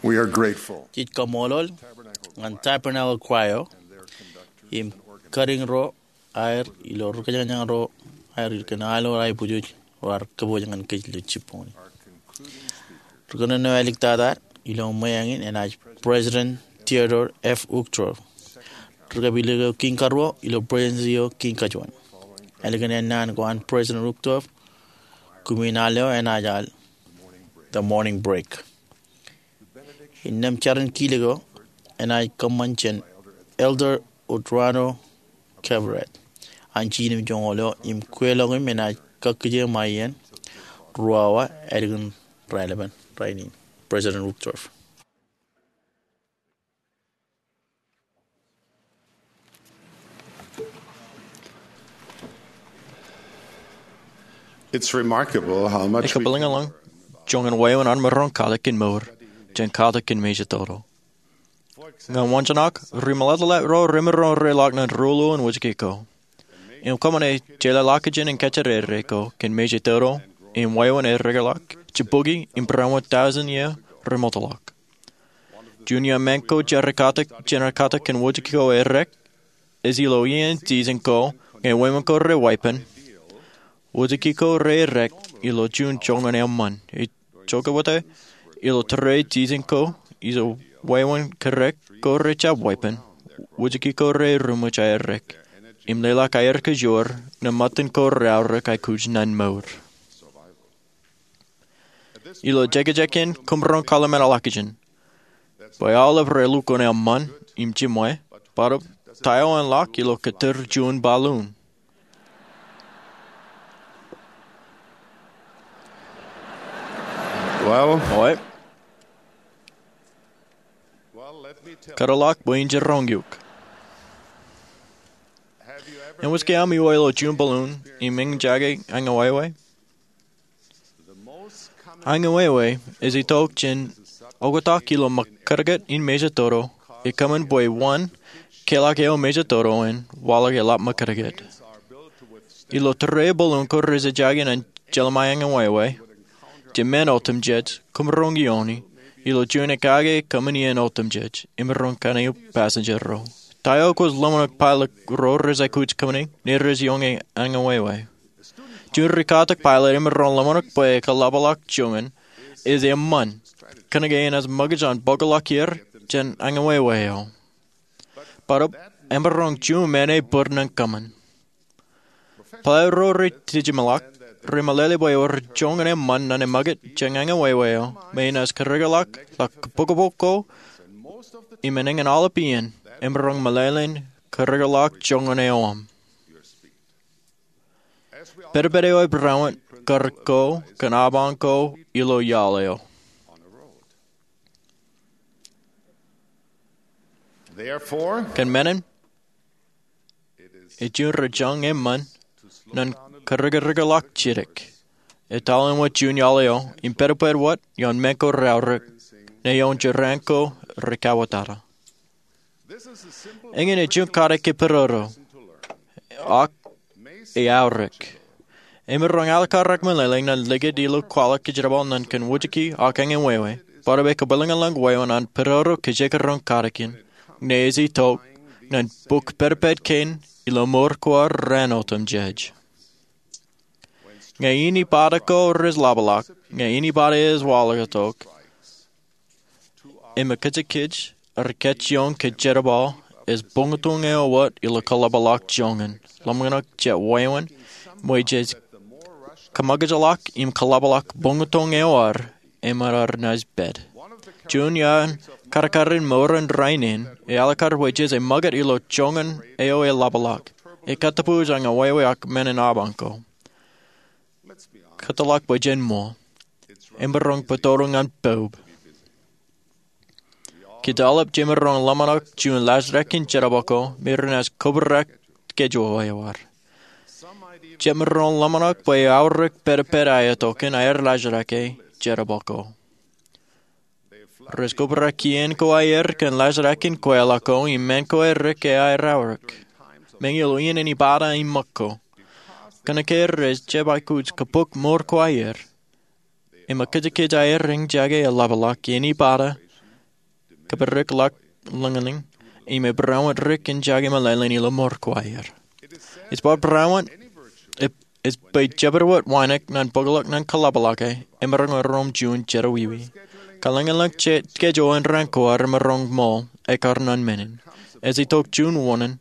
We are grateful. Jej kaṃṃoolol ñan Tabernacle Choir im kariñ ro aer ilo ri kōjañjañ ro aer kōn aolep aiboojoj ro ar kōpooj ñan kōj ilo jibboñ in. Ri kōnono āliktata ilo ṃweañ in enaaj President Theodore F. Uchtdorf. Ri kapilōk eo kiiñ karuo ilo Presidency eo kiiñ kajuon. Ālikin ennaan ko an President Uchtdorf, kumi in al eo enaaj al The Morning Break. Innām jarin kilōk eo enaaj kōṃṃan jān Elder Udrano Kevret an Jinimjoñoul eo im kweilọk im enaaj kakkije ṃae iien ruo awa ālikin raelepen rainin. President Uchtdorf. It's remarkable how much we Ekabwilōñlōñ joñan wāween armej ro katak in mour jān katak in mejatoto. Ñan waanjoñak, ri meḷeḷe ro remaroñ reḷọk ñan ruo ḷọk in wōjke ko im kōṃṃane jeḷāḷọkjeṇ in kajjitōk ko kōn mejatoto im wāween erreḷọk jibboki im barāinwōt tọujin iiō remootḷọk. Juon eo men ko jān rekatak jān rekatak kōn wōjke ko errek, ej ilo iien jijin ko ñe wāween ko re wāween, wōjke ko re errek ilo juon joñan eṃṃan. Ejjeḷọk wōt ilo tōre jijin ko ilo wāween kerrek ko re jab wāween, wōjke ko re eruṃwij aerrek im leḷọk aer kōjoor ñe ṃōttan ko re aorōk aikuj ñan mour. Ilo jekjek in kōmro kwaḷọk men ḷọkjeṇ bwe aolep relukkuun eṃṃan im jiṃwe, barāinwōt ta eo en ḷak ilo kōtōr juon balloon. Well, Oi, well, let me tell kōtḷọk bwe in jiroñ eok. Have you ever Eṃōj ke aṃ iwe ilo juon balloon im eñjake aññewāwē? Aññewāwē ej itok jān oktak ilo ṃōkajjitōk in mejatoto, ekōṃṃan bwe wōn keḷọk eo mejatoto en waḷọk eḷap ṃōkajjitōk. Ilo tōre balloon ko rej ejjake ñan jeḷā ṃae aññewāwē, jemen otemjej kōmro iiooni ilo juon ekake kōṃṃan iien otemjej im roñ kaṇe passenger ro. Ta eo kwōj ḷōmṇak pilot ro rej aikuj kōṃṃane ñe rej iioñe aññewāwē? Juon rikatak pilot emaroñ ḷōmṇak bwe ekōḷapḷọk joñan ej eṃṃan, kōnke enaaj ṃōkaj an bōkḷọk er jān aññewāwē eo. Barāinwōt emaroñ juon men ebōd ñan kōṃṃan. Pilot ro rej dijeṃḷọk remeḷeḷe bwe ewōr joñan eṃṃan ñan eṃōkaj jān aññewāwē eo me enaaj kōrrekeḷọk ḷọk kōbōkbōk ko im eñin aolep iien emaroñ meḷeḷein kōrrekeḷọk joñan eo aṃ. Pedped eo ej barāinwōt kar ko kōn apañ ko ilo iaḷ eo. Therefore, kōn men in, ej juon rej jañ eṃṃan ñan kōrrekeḷọk jidik, etal āinwōt juon iaḷ eo im pedped wōt ioon men ko reaorōk ñe ioon jeraaṃṃan ko rekauwōtata. Eñin ej juon katak ke pedodo, ak eaorōk. Emaroñ alikkar meḷeḷe ñan likūt ilo kwaḷọk kōjerbal ñan kōn wōjke ak aññewāwē, barāinwōt ekabwilōñlōñ wāween an pedodo kōjekdọọn katak in, ñe ej itok ñan bok pedped kein ilo mour ko ad raan otemjej. Ñe inepata ko rej ḷapḷọk, ñe inepata ej waḷọktok, im kōjkōj rej kajjioñ kōn jerbal ej buñtōñ eo wōt ilo kōḷapḷọk joñan. Ḷōmṇak jet wāween, bwe jej kōṃōkajḷọk im kōḷapḷọk buñtōñ eo ad, im ad naaj pād. Juon iaan kadkadin mour in rainin, ej alikkar bwe jej ṃōkaj ilo joñan eo eḷapḷọk, ekatōpoj aññewāwē ak men in apañ ko. Kōtḷọk bwe jen ṃool. Emaroñ bōktok ñan poub. Kōj aolep jemaroñ ḷōmṇak juon laajrak in jerbal ko me renaaj kōbrak schedule eo ad. Jemaroñ ḷōmṇak bwe eaorōk pedped aetok in aer laajrak e jerbal ko. Rej kōbrak kien ko aer kōn laajrak in kweilọk ko im men ko errek aer aorōk. Meñe ilo iien inepata im ṃōk ko, kōnke rej jab aikuj kōbōk mour ko aer, im kōjkōj aer eñjake eḷapḷọk inepata kōperekḷọk lōñlōñ, im ebaraṃōt ri-kōn jake meḷeḷein ilo mour ko aer. Ej bar baraṃōt, ej bwe jabdewōt wānōk ñan bōkḷọk ñan kōḷapḷọk e, emaroñ erom juon jerọwiwi. Kalōñlōñ schedule in raan ko ad emaroñ ṃool, ekkar ñan menin. Ej itok juon wōṇāān,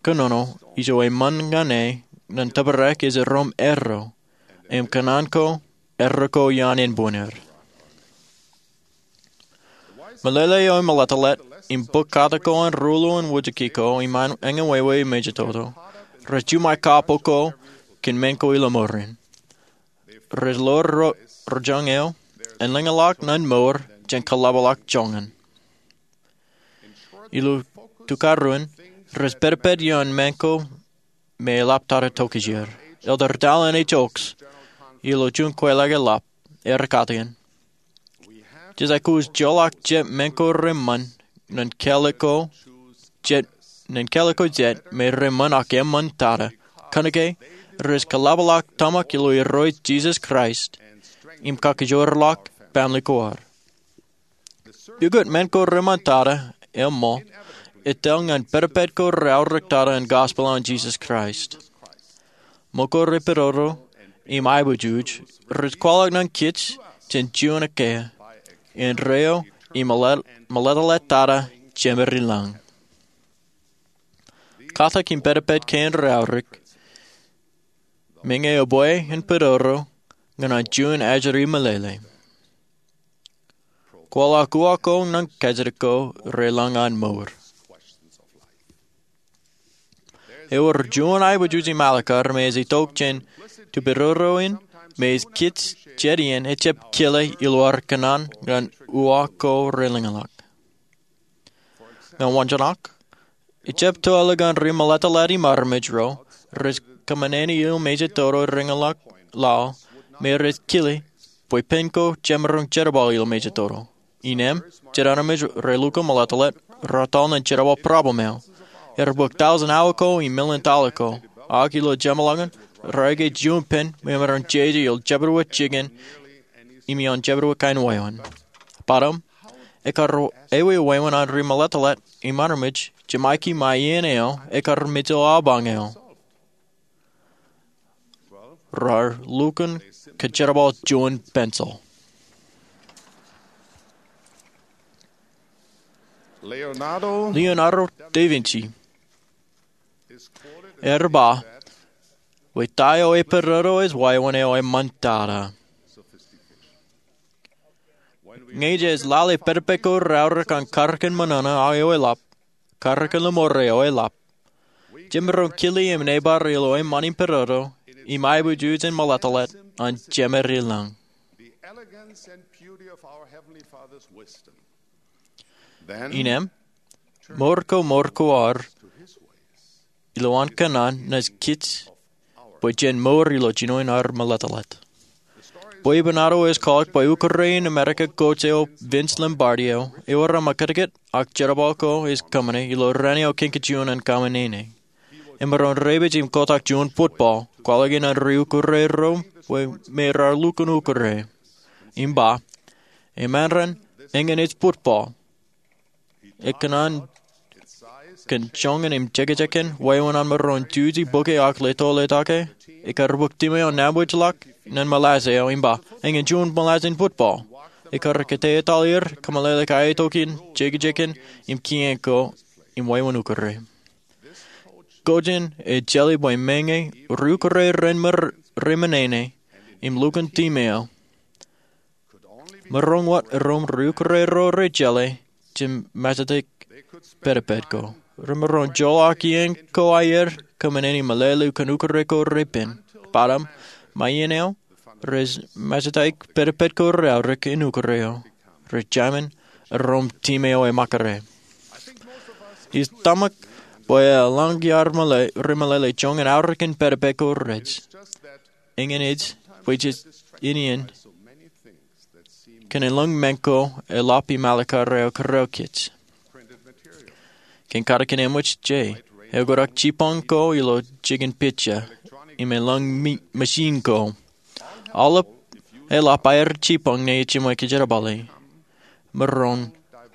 kōnono, ijo eṃṃan ñan e, ñan tōprak ej erom erro, im kōṇaan ko, erro ko iaan ānbwinner. Meḷeḷe eo emeḷeḷe, im bōk katak ko an ruo ḷọk in wōjke ko, im an eñin wāween mejatoto. Rej juṃae kapo ko, kōn men ko ilo mour in. Rej ḷoor ro, rojañ eo, en lōñḷọk ñan mour, jān kōḷapḷọk joñan. Ilo tukaruon, rej pedped ioon men ko me eḷap tata tokjāer. Elder Dallin H. Oaks, ilo juon kweilọk eḷap, ear katakin. Jej aikuj joḷọk jet men ko reṃṃan, ñan kālik ko jet, ñan kālik ko jet, me reṃṃan ak eṃṃan tata. Kōnke, rej kōḷapḷọk tōmak ilo Irooj Jisōs Kraist, im kakijoorḷọk baaṃle ko ad. Pukot men ko reṃṃan tata, eṃṃool, etal ñan pedped ko reaorōk tata in gospel an Jisōs Kraist. Ṃōk ko repedodo, im aiboojoj, rej kwaḷọk ñan kōj, jān juon ekkā, indeeo, im meḷe-, meḷeḷe tata, Jemedlañ. Katak im pedped kein reaorōk, meñe ebwe in pedodo, ñan an juon ajri meḷeḷe. Kwaḷọk uwaak ko ñan kajjitōk ko reḷañ an mour. Ewōr juon aiboojoj im alikkar me ej itok jān tipedodo in me ej kōj jet iien ejjab kile ilo ad kōṇaan ñan uwaak ko relōñḷọk. Ñan waanjoñak, ejjab to ālikin ri meḷeḷe im armej ro, rej kōṃṃane ilo mejatoto relōñḷọk lao, me rej kile, bwe pen ko jemaroñ jerbal ilo mejatoto. Innem, jet armej relukkuun meḷeḷe, raar tōl ñan jerbal problem eo. Ear bōk tọujin awa ko im million tọḷa ko. Ak ilo jeṃḷọkin, raar aikuj juon pen, me emaroñ jeje ilo jabdewōt jikin, im ioon jabdewōt kain wāween. Bōtab, ekkar ewi wāween an ri meḷeḷe, im armej, jemaiki ṃae iien eo, ekkar mejān apañ eo. Raar lukkuun kōjerbal juon pencil. Leonardo da Vinci ear ba, bwe ta eo epedodo ej wāween eo eṃṃan tata. Ñe jej lale pedped ko reaorōk an karōk in ṃōṇōṇō eo eḷap, karōk in lemore eo eḷap, jemaroñ kile im nōbar ilo eṃṃan im pedodo, im aiboojoj in meḷeḷe, an Jemedlañ. Innem, mour ko mour ko ad, ilowaan kōṇaan naaj kōj, bwe jen mour ilo jinoin ad meḷeḷe. Bwebwenato ej kwaḷọk bwe ukure in Amerika coach eo Vince Lombardi eo, ewōr aṃ kōtkōt ak jerbal ko ej kōṃṃane ilo raan eo kain kajuon an kōṃṃane. Emaroñ rej pād im kotak juon football, kwaḷọk ñan ri ukure ro, bwe me raar lukkuun ukure. Im ba, eṃṃan raṇ, eñin ej football. Ekōṇaan kōn joñan im jekjekan, wāween an maroñ juji bōke ak leto letak e, ekkar bōk team eo nabōjḷọk, ñan molasses eo im ba, eñin juon molasses in football. Ekkar kōttātā er, kōmeḷeḷe kaitok in, jekjekan, im kien ko, im wāween ukure. Coach in ejjeḷọk bwe meñe, ri ukure ren ṃōr, reṃōṇōṇō, im lukkuun team eo. Maroñ wōt erom ri ukure ro rej jeḷā, jemaroñ jemaroñ pedped ko. Remaroñ joḷọk iien ko aer, kōṃṃane im meḷeḷe kōn ukure ko repen. Bōtaab, ṃae iien eo, rej maroñ pedped ko reaorōk in ukure eo. Rej jemān, erom team eo eṃōkare. Ij tōmak, bwe eḷaññe iar meḷeḷe, remeḷeḷe joñan aorōk in pedped ko rej. Eñin ej, bwe jej iien in, kōn elōñ men ko, eḷap im alikkar eo kōrā kōj. Kōn katakin eṃōj je, ekōṇaan jipañ ko ilo jikin pitcher, im elōñ mi-, machine ko. Aolep, eḷap aer jipañ ñe ejiṃwe kōjerbale. Maroñ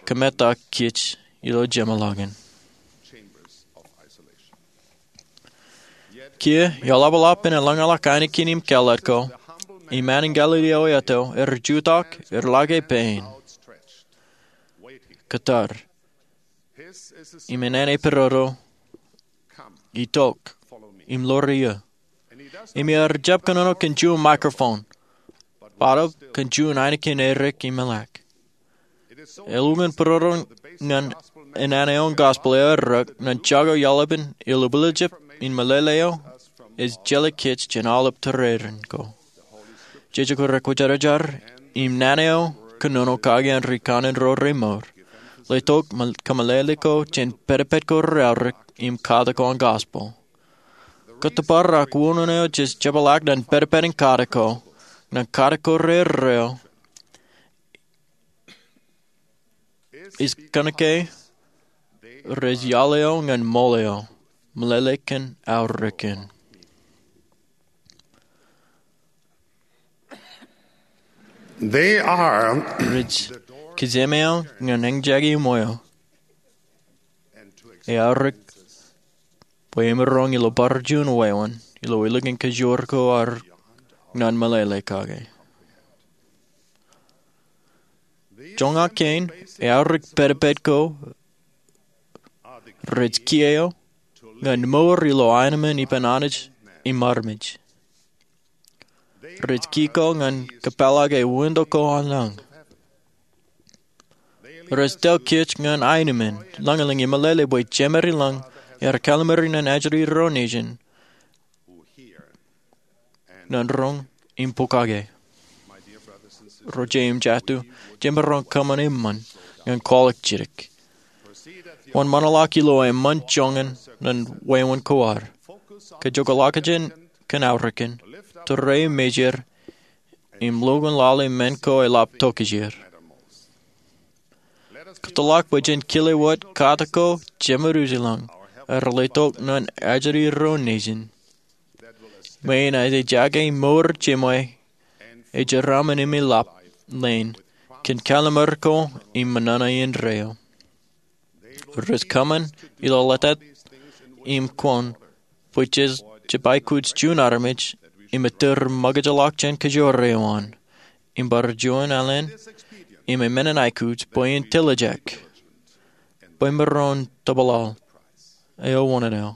kōmetak kōj ilo jeṃḷọkin. Kiiō, iọḷapḷọk im eḷaññe ḷọk ainikien im kāālōt ko, iṃaan in Galili eo eto, er jutak, er lake pein, kōttar, im enana pororo, itok, im ḷoor eō. Im ear jab kōnono kōn juon microphone, bōtab kōn juon ainikien erik im eḷak. Eḷukkuun pororo ñan enana eo an gospel eo eorōk ñan jako iaḷapin ilubwiljab in meḷeḷe eo ej jeḷā kōj jān aolep tūrerein ko. Jeje ko rekwōjarjar im naan eo kōnono kake an ri kanaan ro remour, letok kōmeḷeḷe ko jān pedped ko reaorōk im katak ko an gospel. Kōttōpar ak wūnin eo jej jepḷaak ñan pedped in katak ko, ñan katak ko reorro, ej kōnke rej iaḷ eo ñan ṃool eo, meḷeḷe kōn aorōkin. They are rej kijem eo ñan eñjake iṃweo, eaorōk bwe emaroñ ilo bar juon wāween ilo elukkuun kajoor ko ad ñan meḷeḷe kake. Joñak kein, eaorōk pedped ko rej kiiō ñan mour ilo aenōṃṃan ippān Anij im armej. Rej kiiō ñan kōpeḷḷọke winto ko an lañ. Rej tōl kōj ñan aenōṃṃan, lañlōñ im meḷeḷe bwe Jemād ilañ ear kallimari ñan ajri ro nejin ñan roñ im pokake. Ro jet im jatū, jemaroñ kōṃṃan eṃṃan ñan kwaḷọk jidik. Wōnṃaanḷọk ilo eṃṃan joñan ñan wāween ko ad, kajoorḷọk jān kōn aorōkin, tūrei mejād, im lukkuun lale men ko eḷap tokjāer. Kōtḷọk bwe jen kile wōt katak ko Jemād ilañ, ear letok ñan ajri ro nejin, me enaaj ejaake mour jeṃwe, ejeraṃṃan im eḷap leen, kōn kallimar ko im ṃōṇōṇō indeeo. Rej kōṃṃan ilo ḷotak im kwōn bwe jej jab aikuj juon armej im ettōr ṃōkajḷọk jān kajoor eo an, im bar juon alen, im emān in aikuj bwe en tiljek, bwe emaroñ tōpḷaḷ eo wōṇāān eo.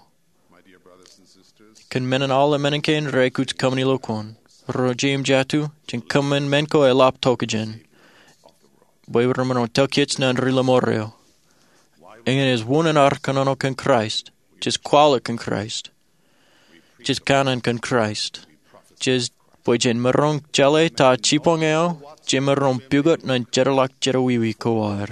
Kōn men in aolep men kein reaikuj kōṃṃan ilo kwōn, ro jet im jatū, jen kōṃṃan men ko eḷap tokjān, bwe remaroñ tōl kōj ñan ri-lọmọọr eo. Eñin ej wūnin ad kōnono kōn Kraist, jej kwaḷọk kōn Kraist, jej kanaan kōn Kraist, jej, bwe jen maroñ jeḷā ta jibboñ eo jemaroñ pukot ñan jeorḷọk jerọwiwi ko ad.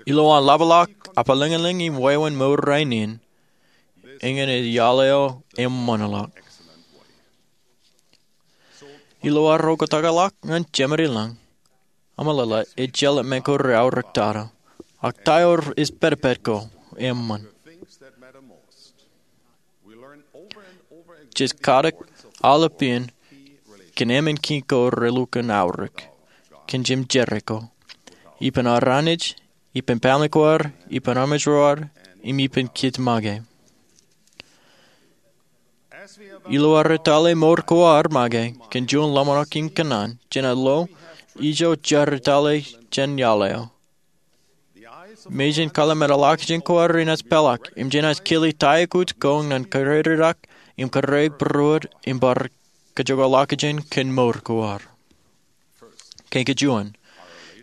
Ilowaan ḷapḷọk, apalañlañ im wāween mour rainin, eñin ej iaḷ eo eṃṃanḷọk. Ilo ad oktak ḷọk ñan Jemād ilañ, ameḷeḷe ejjeḷọk men ko reaorōk tata, ak ta eo ej pedped ko eṃṃan. Jej katak aolep iien kōn emān kiiñ ko relukkuun aorōk kōn jemjerā ko, ippān ad Anij, ippān family ko ad, ippān armej ro ad, im ippān kōj make. Ilo ad etale mour ko ad make kōn juon ḷōmṇak im kōṇaan, jenaaj lo ijo jar etale jān iaḷ eo. Mejān kōḷmānḷọkjeṇ ko ad renaaj peḷḷọk im jenaaj kile ta eo kwōj kōn ñan kōrā eo rej rak im kōrā eo rej būruod im bar kajoorḷọkjeṇ kōn mour ko ad. Kein kajuon,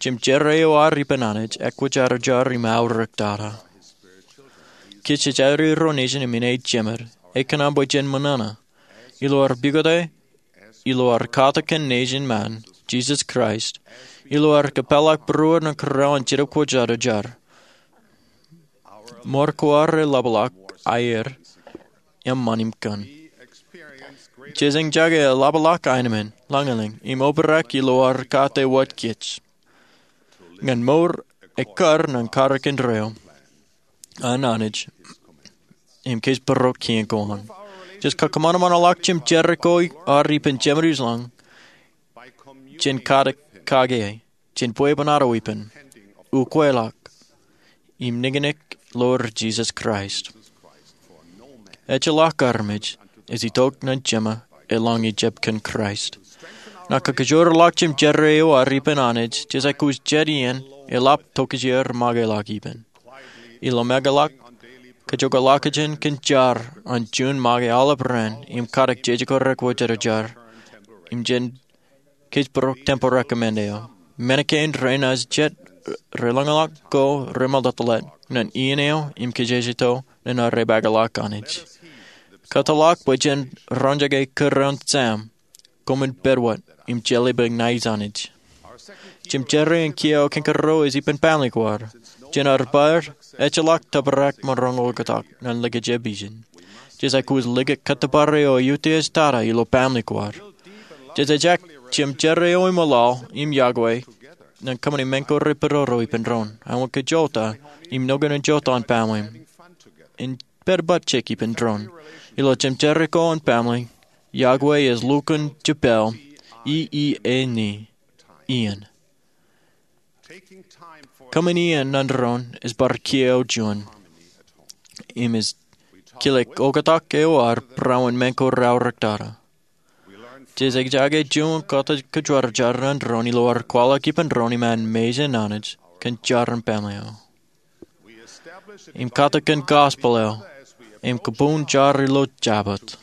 jemjerā eo ad ippān Anij ekwōjarjar im aorōk tata. Kōj ej ajri ro nejin im ej Jemād, ekōṇaan bwe jen ṃōṇōṇō ilo ad pukot e, ilo ad katak kōn Nejin ṃaan, Jisōs Kraist, ilo ad kōpeḷḷọk būruod ñan kōrā eo an Jetōb Kwōjarjar. Mour ko ad reḷapḷọk aer eṃṃan im kōn. Jej eñjake eḷapḷọk aenōṃṃan, lañlōñ, im obrak ilo ad kate wōt kōj ñan mour ekkar ñan karōk indeeo an Anij im kōjparok kien ko an. Jej kakōṃanṃanḷọk jemjerā ko ad ippān Jemād ilañ jān katak kake e. kōn bwebwenato ippān, ukweḷọk, im niknik ḷọk Jisōs Kraist. Ejjeḷọk armej ej itok ñan Jema eḷaññe ejjab kōn Kraist. Ña kakajoorḷọk jimjerā eo ad ippān Anij, jesaikuj jet iien eḷap tokjāer make ḷọk ippān. Ilo meḷeḷe, kajjoḷọkjeṇ kōn jar an juon make aolep raan im katak jeje ko rek wōjarjar im jān kōjparok temporary command eo. Men kein rein ej jet relōñḷọk ko remeḷeḷe ñan iien eo im kajjitōk ñan aer meḷeḷe Anij. Kōtḷọk bwe jen roñjake kūr an Sam, koṃwin pād wōt im jeḷā bwe ña ij Anij. Jimjerā in kiiō kein kōrā ej ippān family ko ad. Jān ad bar, ejjeḷọk tōprak maroñ oktak ñan likjab ijin. Jesaikuj likjab kōttōpar eo ej utiej tata ilo family ko ad. Jej aikuj jimjerā eo iṃōḷaḷ im yokwe ñan kōṃṃani men ko repedodo ippān doon, aolep kajjojo im nokwe in jota an family in pād bajjek ippān doon. Ilo jimjerā ko an family, yokwe ej lukkuun jepel, i i e ni, iien. Kōṃṃan iien ñan doon ej bar kiiō juon im ej kile oktak eo ad barāinwōt men ko reaorōk tata. Jej jake juon kōttar kōjwar jar ñan doon ilo ad kwaḷọk ippān doon iṃaan mejān Anij kōn jar an family eo im katakin gospel eo im kōpooj jar ilo Jabōt.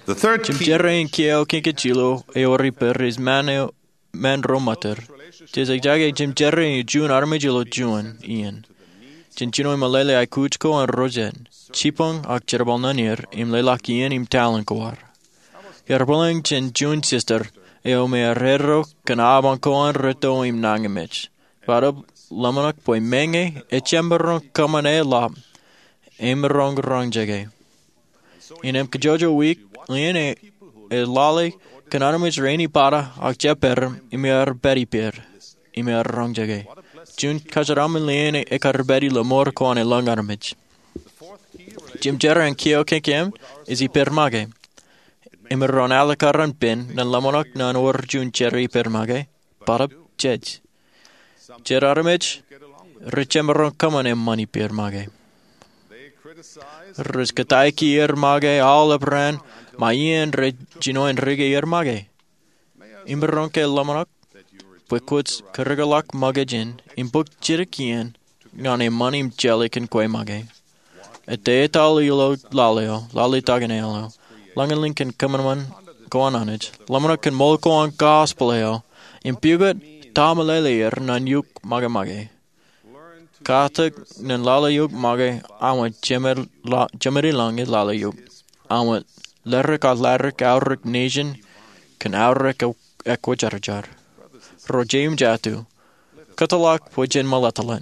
Jimjerā in kiiō kein kajjilōk eo rej pād ej men ro ṃōttōr. Jej jake jimjerā in juon armej ilo juon iien jān jino meḷeḷe aikuj ko an ro jet, jipañ ak jerbal ñan er im leḷọk iien im talent ko ad. Iar bōlen jān juon sister eo me erreo kōn apañ ko an rūtto im nañinmej. Bōtab ḷōmṇak bwe meñe ejjab maroñ kōṃṃane ḷap, emaroñ roñjake. Innem kajjojo wiik, iien eo ej lale kōn armej rein ippān ak jeppaer im iar pād ippāer im iar roñjake. Juon kōjeraaṃṃan iien eo ekar pād ilo mour ko an elōñ armej. Jimjerā in kiiō kein keememej ej ippān make. Emaroñ āliktata pen ñan ḷōmṇak ñan wōr juon jerā ippān make, bōtab jej. Jet armej rej jemaroñ kōṃṃane eṃṃan ippān make. Rej kōttāik er make aolep raan ṃae iien rej jino en rūkaki er make. Emaroñ ke ḷōmṇak bwe kwōj kūrōkḷọk make jān im bōk jidik iien ñan eṃṃan im jeḷā kōn kwe make. Ettā etal ilo lale eo, lale ta kōn aelōñ eo, lañlōñ kōn kōṃanṃan ko an Anij, ḷōmṇak kōn ṃool ko an gospel eo, im pukot ta meḷeḷe er ñan eok make make. Katak ñan lale eok make aṃ wōt jemād laḷ, jemād ilañ e lale eok. Aṃ wōt ledik ak ladik aorōk nejin kōn aorōk ekwōjarjar. Ro jeiū im jatū, kōtḷọk bwe jen meḷeḷe.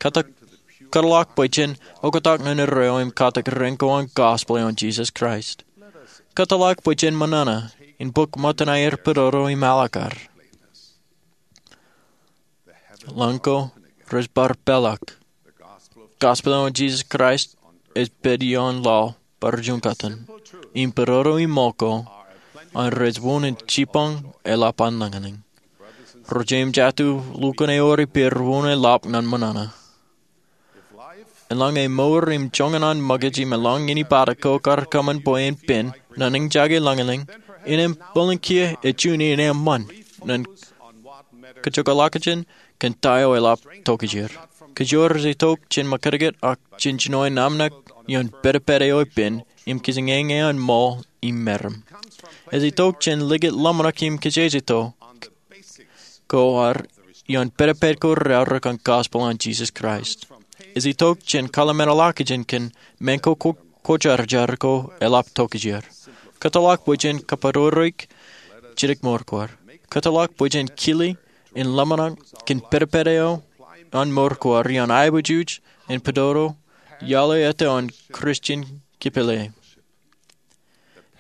Kōtḷọk bwe jen oktak ñan Irooj im katak rein ko an gospel eo an Jisōs Kraist. Kōtḷọk bwe jen ṃōṇōṇō in bōk ṃōttan aer pedodo im āliktata. Lañ ko rej bar peḷḷọk. Gospel eo an Jisōs Kraist ej pād ioon laḷ bar juon kōttan im pedodo im ṃool ko an rej wūnin jipañ eḷap an lañlōñ. Ro jeiū im jatū, lukkuun ewōr ippāer wūnin ḷap ñan ṃōṇōṇō. Eḷaññe mour im joñan an ṃōkaj im eḷaññe ippād ko kar kōṃṃan bwe en pen ñan eñjake lañlōñ, innem bōlen kiiō ej juon iien eṃṃan ñan kajjoḷọkjeṇ kōn ta eo eḷap tokjāer. Kōjro rej itok jān ṃakūtkūt ak jān jinoin amnak ioon pedped eo ippān im kijenñeñe an ṃool im meram. Ej itok jān likūt ḷōmṇak im kajjitōk ko ad ioon pedped ko reaorōk an gospel an Jisōs Kraist. Ej itok jān kalimemedḷọkjeṇ kōn men ko kwōjarjar ko eḷap tokjāer. Kōtḷọk bwe jen kapidodoik jidik mour ko ad. Kōtḷọk bwe jen kile in ḷōmṇak kōn pedped eo an mour ko ad ioon aiboojoj in pedodo iaḷ eo ettā an Christian kipele.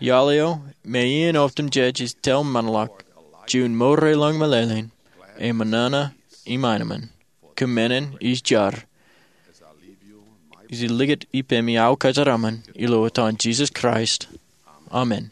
Iaḷ eo me iien otemjej ej tōl men ḷọk, juon mour elōñ meḷeḷein, im ṃōṇōṇō im aenōṃṃan. Kōm men in ij jar. Ij likūt ippemi aō kōjeraaṃṃan ilo etan Jisōs Kraist. Amen.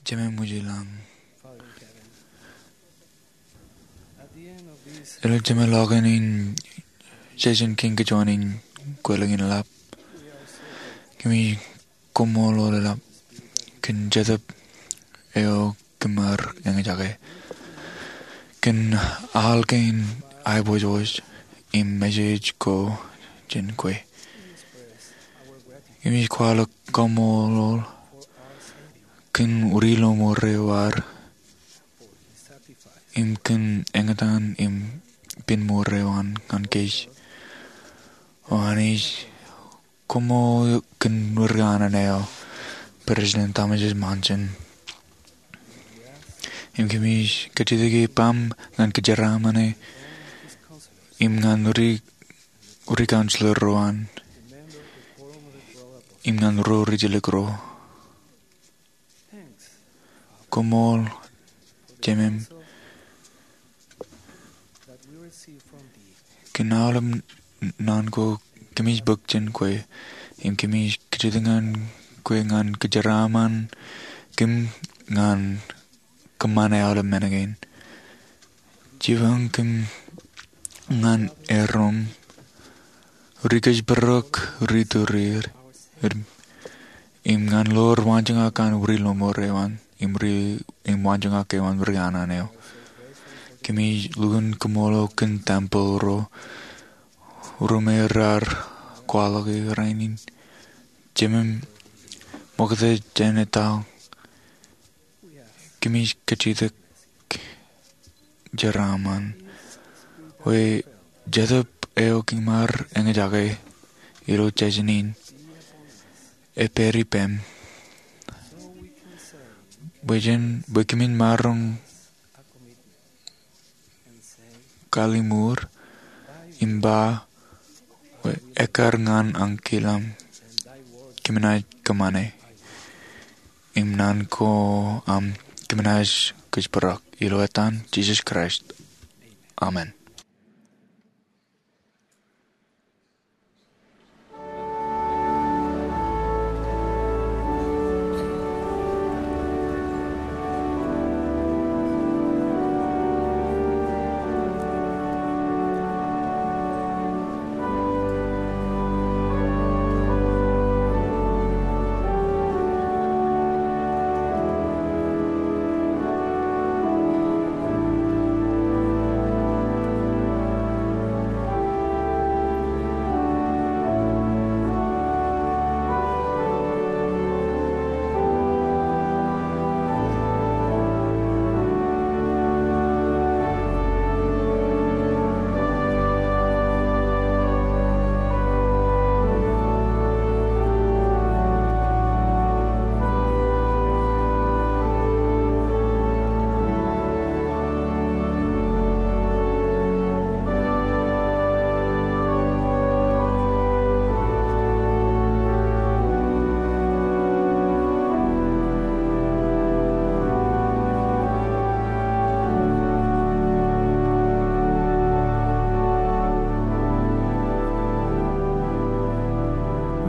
Jemem ej ilañ. Ilo jemeḷọkin in session kein kajuon in kweilọk in lap, kōmij koṃṃool ḷọk kōn Jetōb eo kōm ar eñjake kōn al kein aiboojoj im message ko jān kwe. Kōmij kwaḷọk koṃṃool kōn uri lọmọọr eo ad im kōn eñtaan im pen mour eo an ñan kōj. O Anij, koṃṃool kōn ri kanaan eo, President Thomas S. Monson. Im kōmij kajjitōk baaṃ ñan kōjeraaṃṃan e im ñan ri, ri counselor ro an im ñan ro rijjelōk ro. Koṃṃool, Jemem, kōn aolep naan ko kōmij bōk jān kwe, im kōmij kajjitōk ñan kwe ñan kōjeraaṃṃan kōm ñan kōṃṃane aolep men kein. Jipañ kōm ñan erom, ri kōjparok, ri tōreer, im ñan ḷoor waanjoñak an uri lọmọọr eo an, im ri, im waanjoñak eo an ri kanaan eo. Kōmij lukkuun koṃṃool kōn tempeḷ ro, ro me raar kwaḷọk e rainin. Jemem, ṃokta jān etal, kōmij kajjitōk jeraaṃṃan bwe Jetōb eo kōm ar eñjake ilo jān in epād ippaṃ, bwe jān, bwe kōmin maroñ kalliṃur im ba, Ekkar ñan ankilōñ, kōm naaj kōṃṃane, im naan ko aṃ, kōm naaj kōjparok. Ilo etan Jisōs Kraist, amen.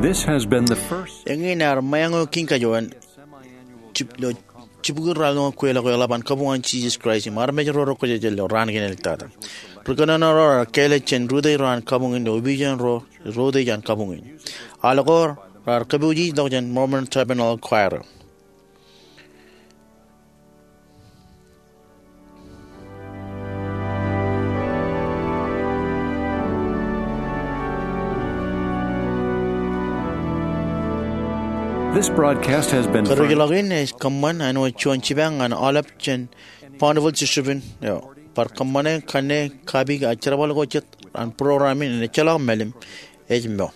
This has been the first Eñin ear ṃōñā eo kein kajuon jibukwi ralitōk kweilọk eo eḷap an kabuñ an Jisōs Kraist im armej ro rekwōjarjar ilo raan kein āliktata. Ri kōnono ro raar kāālōt jān rūtōj ro an kabuñ in ilo opiij ro rūtōj an kabuñ in. Aḷ ko raar kōpooj tok jān Mormon Tabernacle Choir. This broadcast has been Kūrjilọk in ej kōṃṃan āinwōt juon jipañ ñan aolep jān Bonneville Distribution eo. Bar kōṃṃane kanne kapi ak jerbal ko jet an program in, ejjeḷọk mālim, ej mo.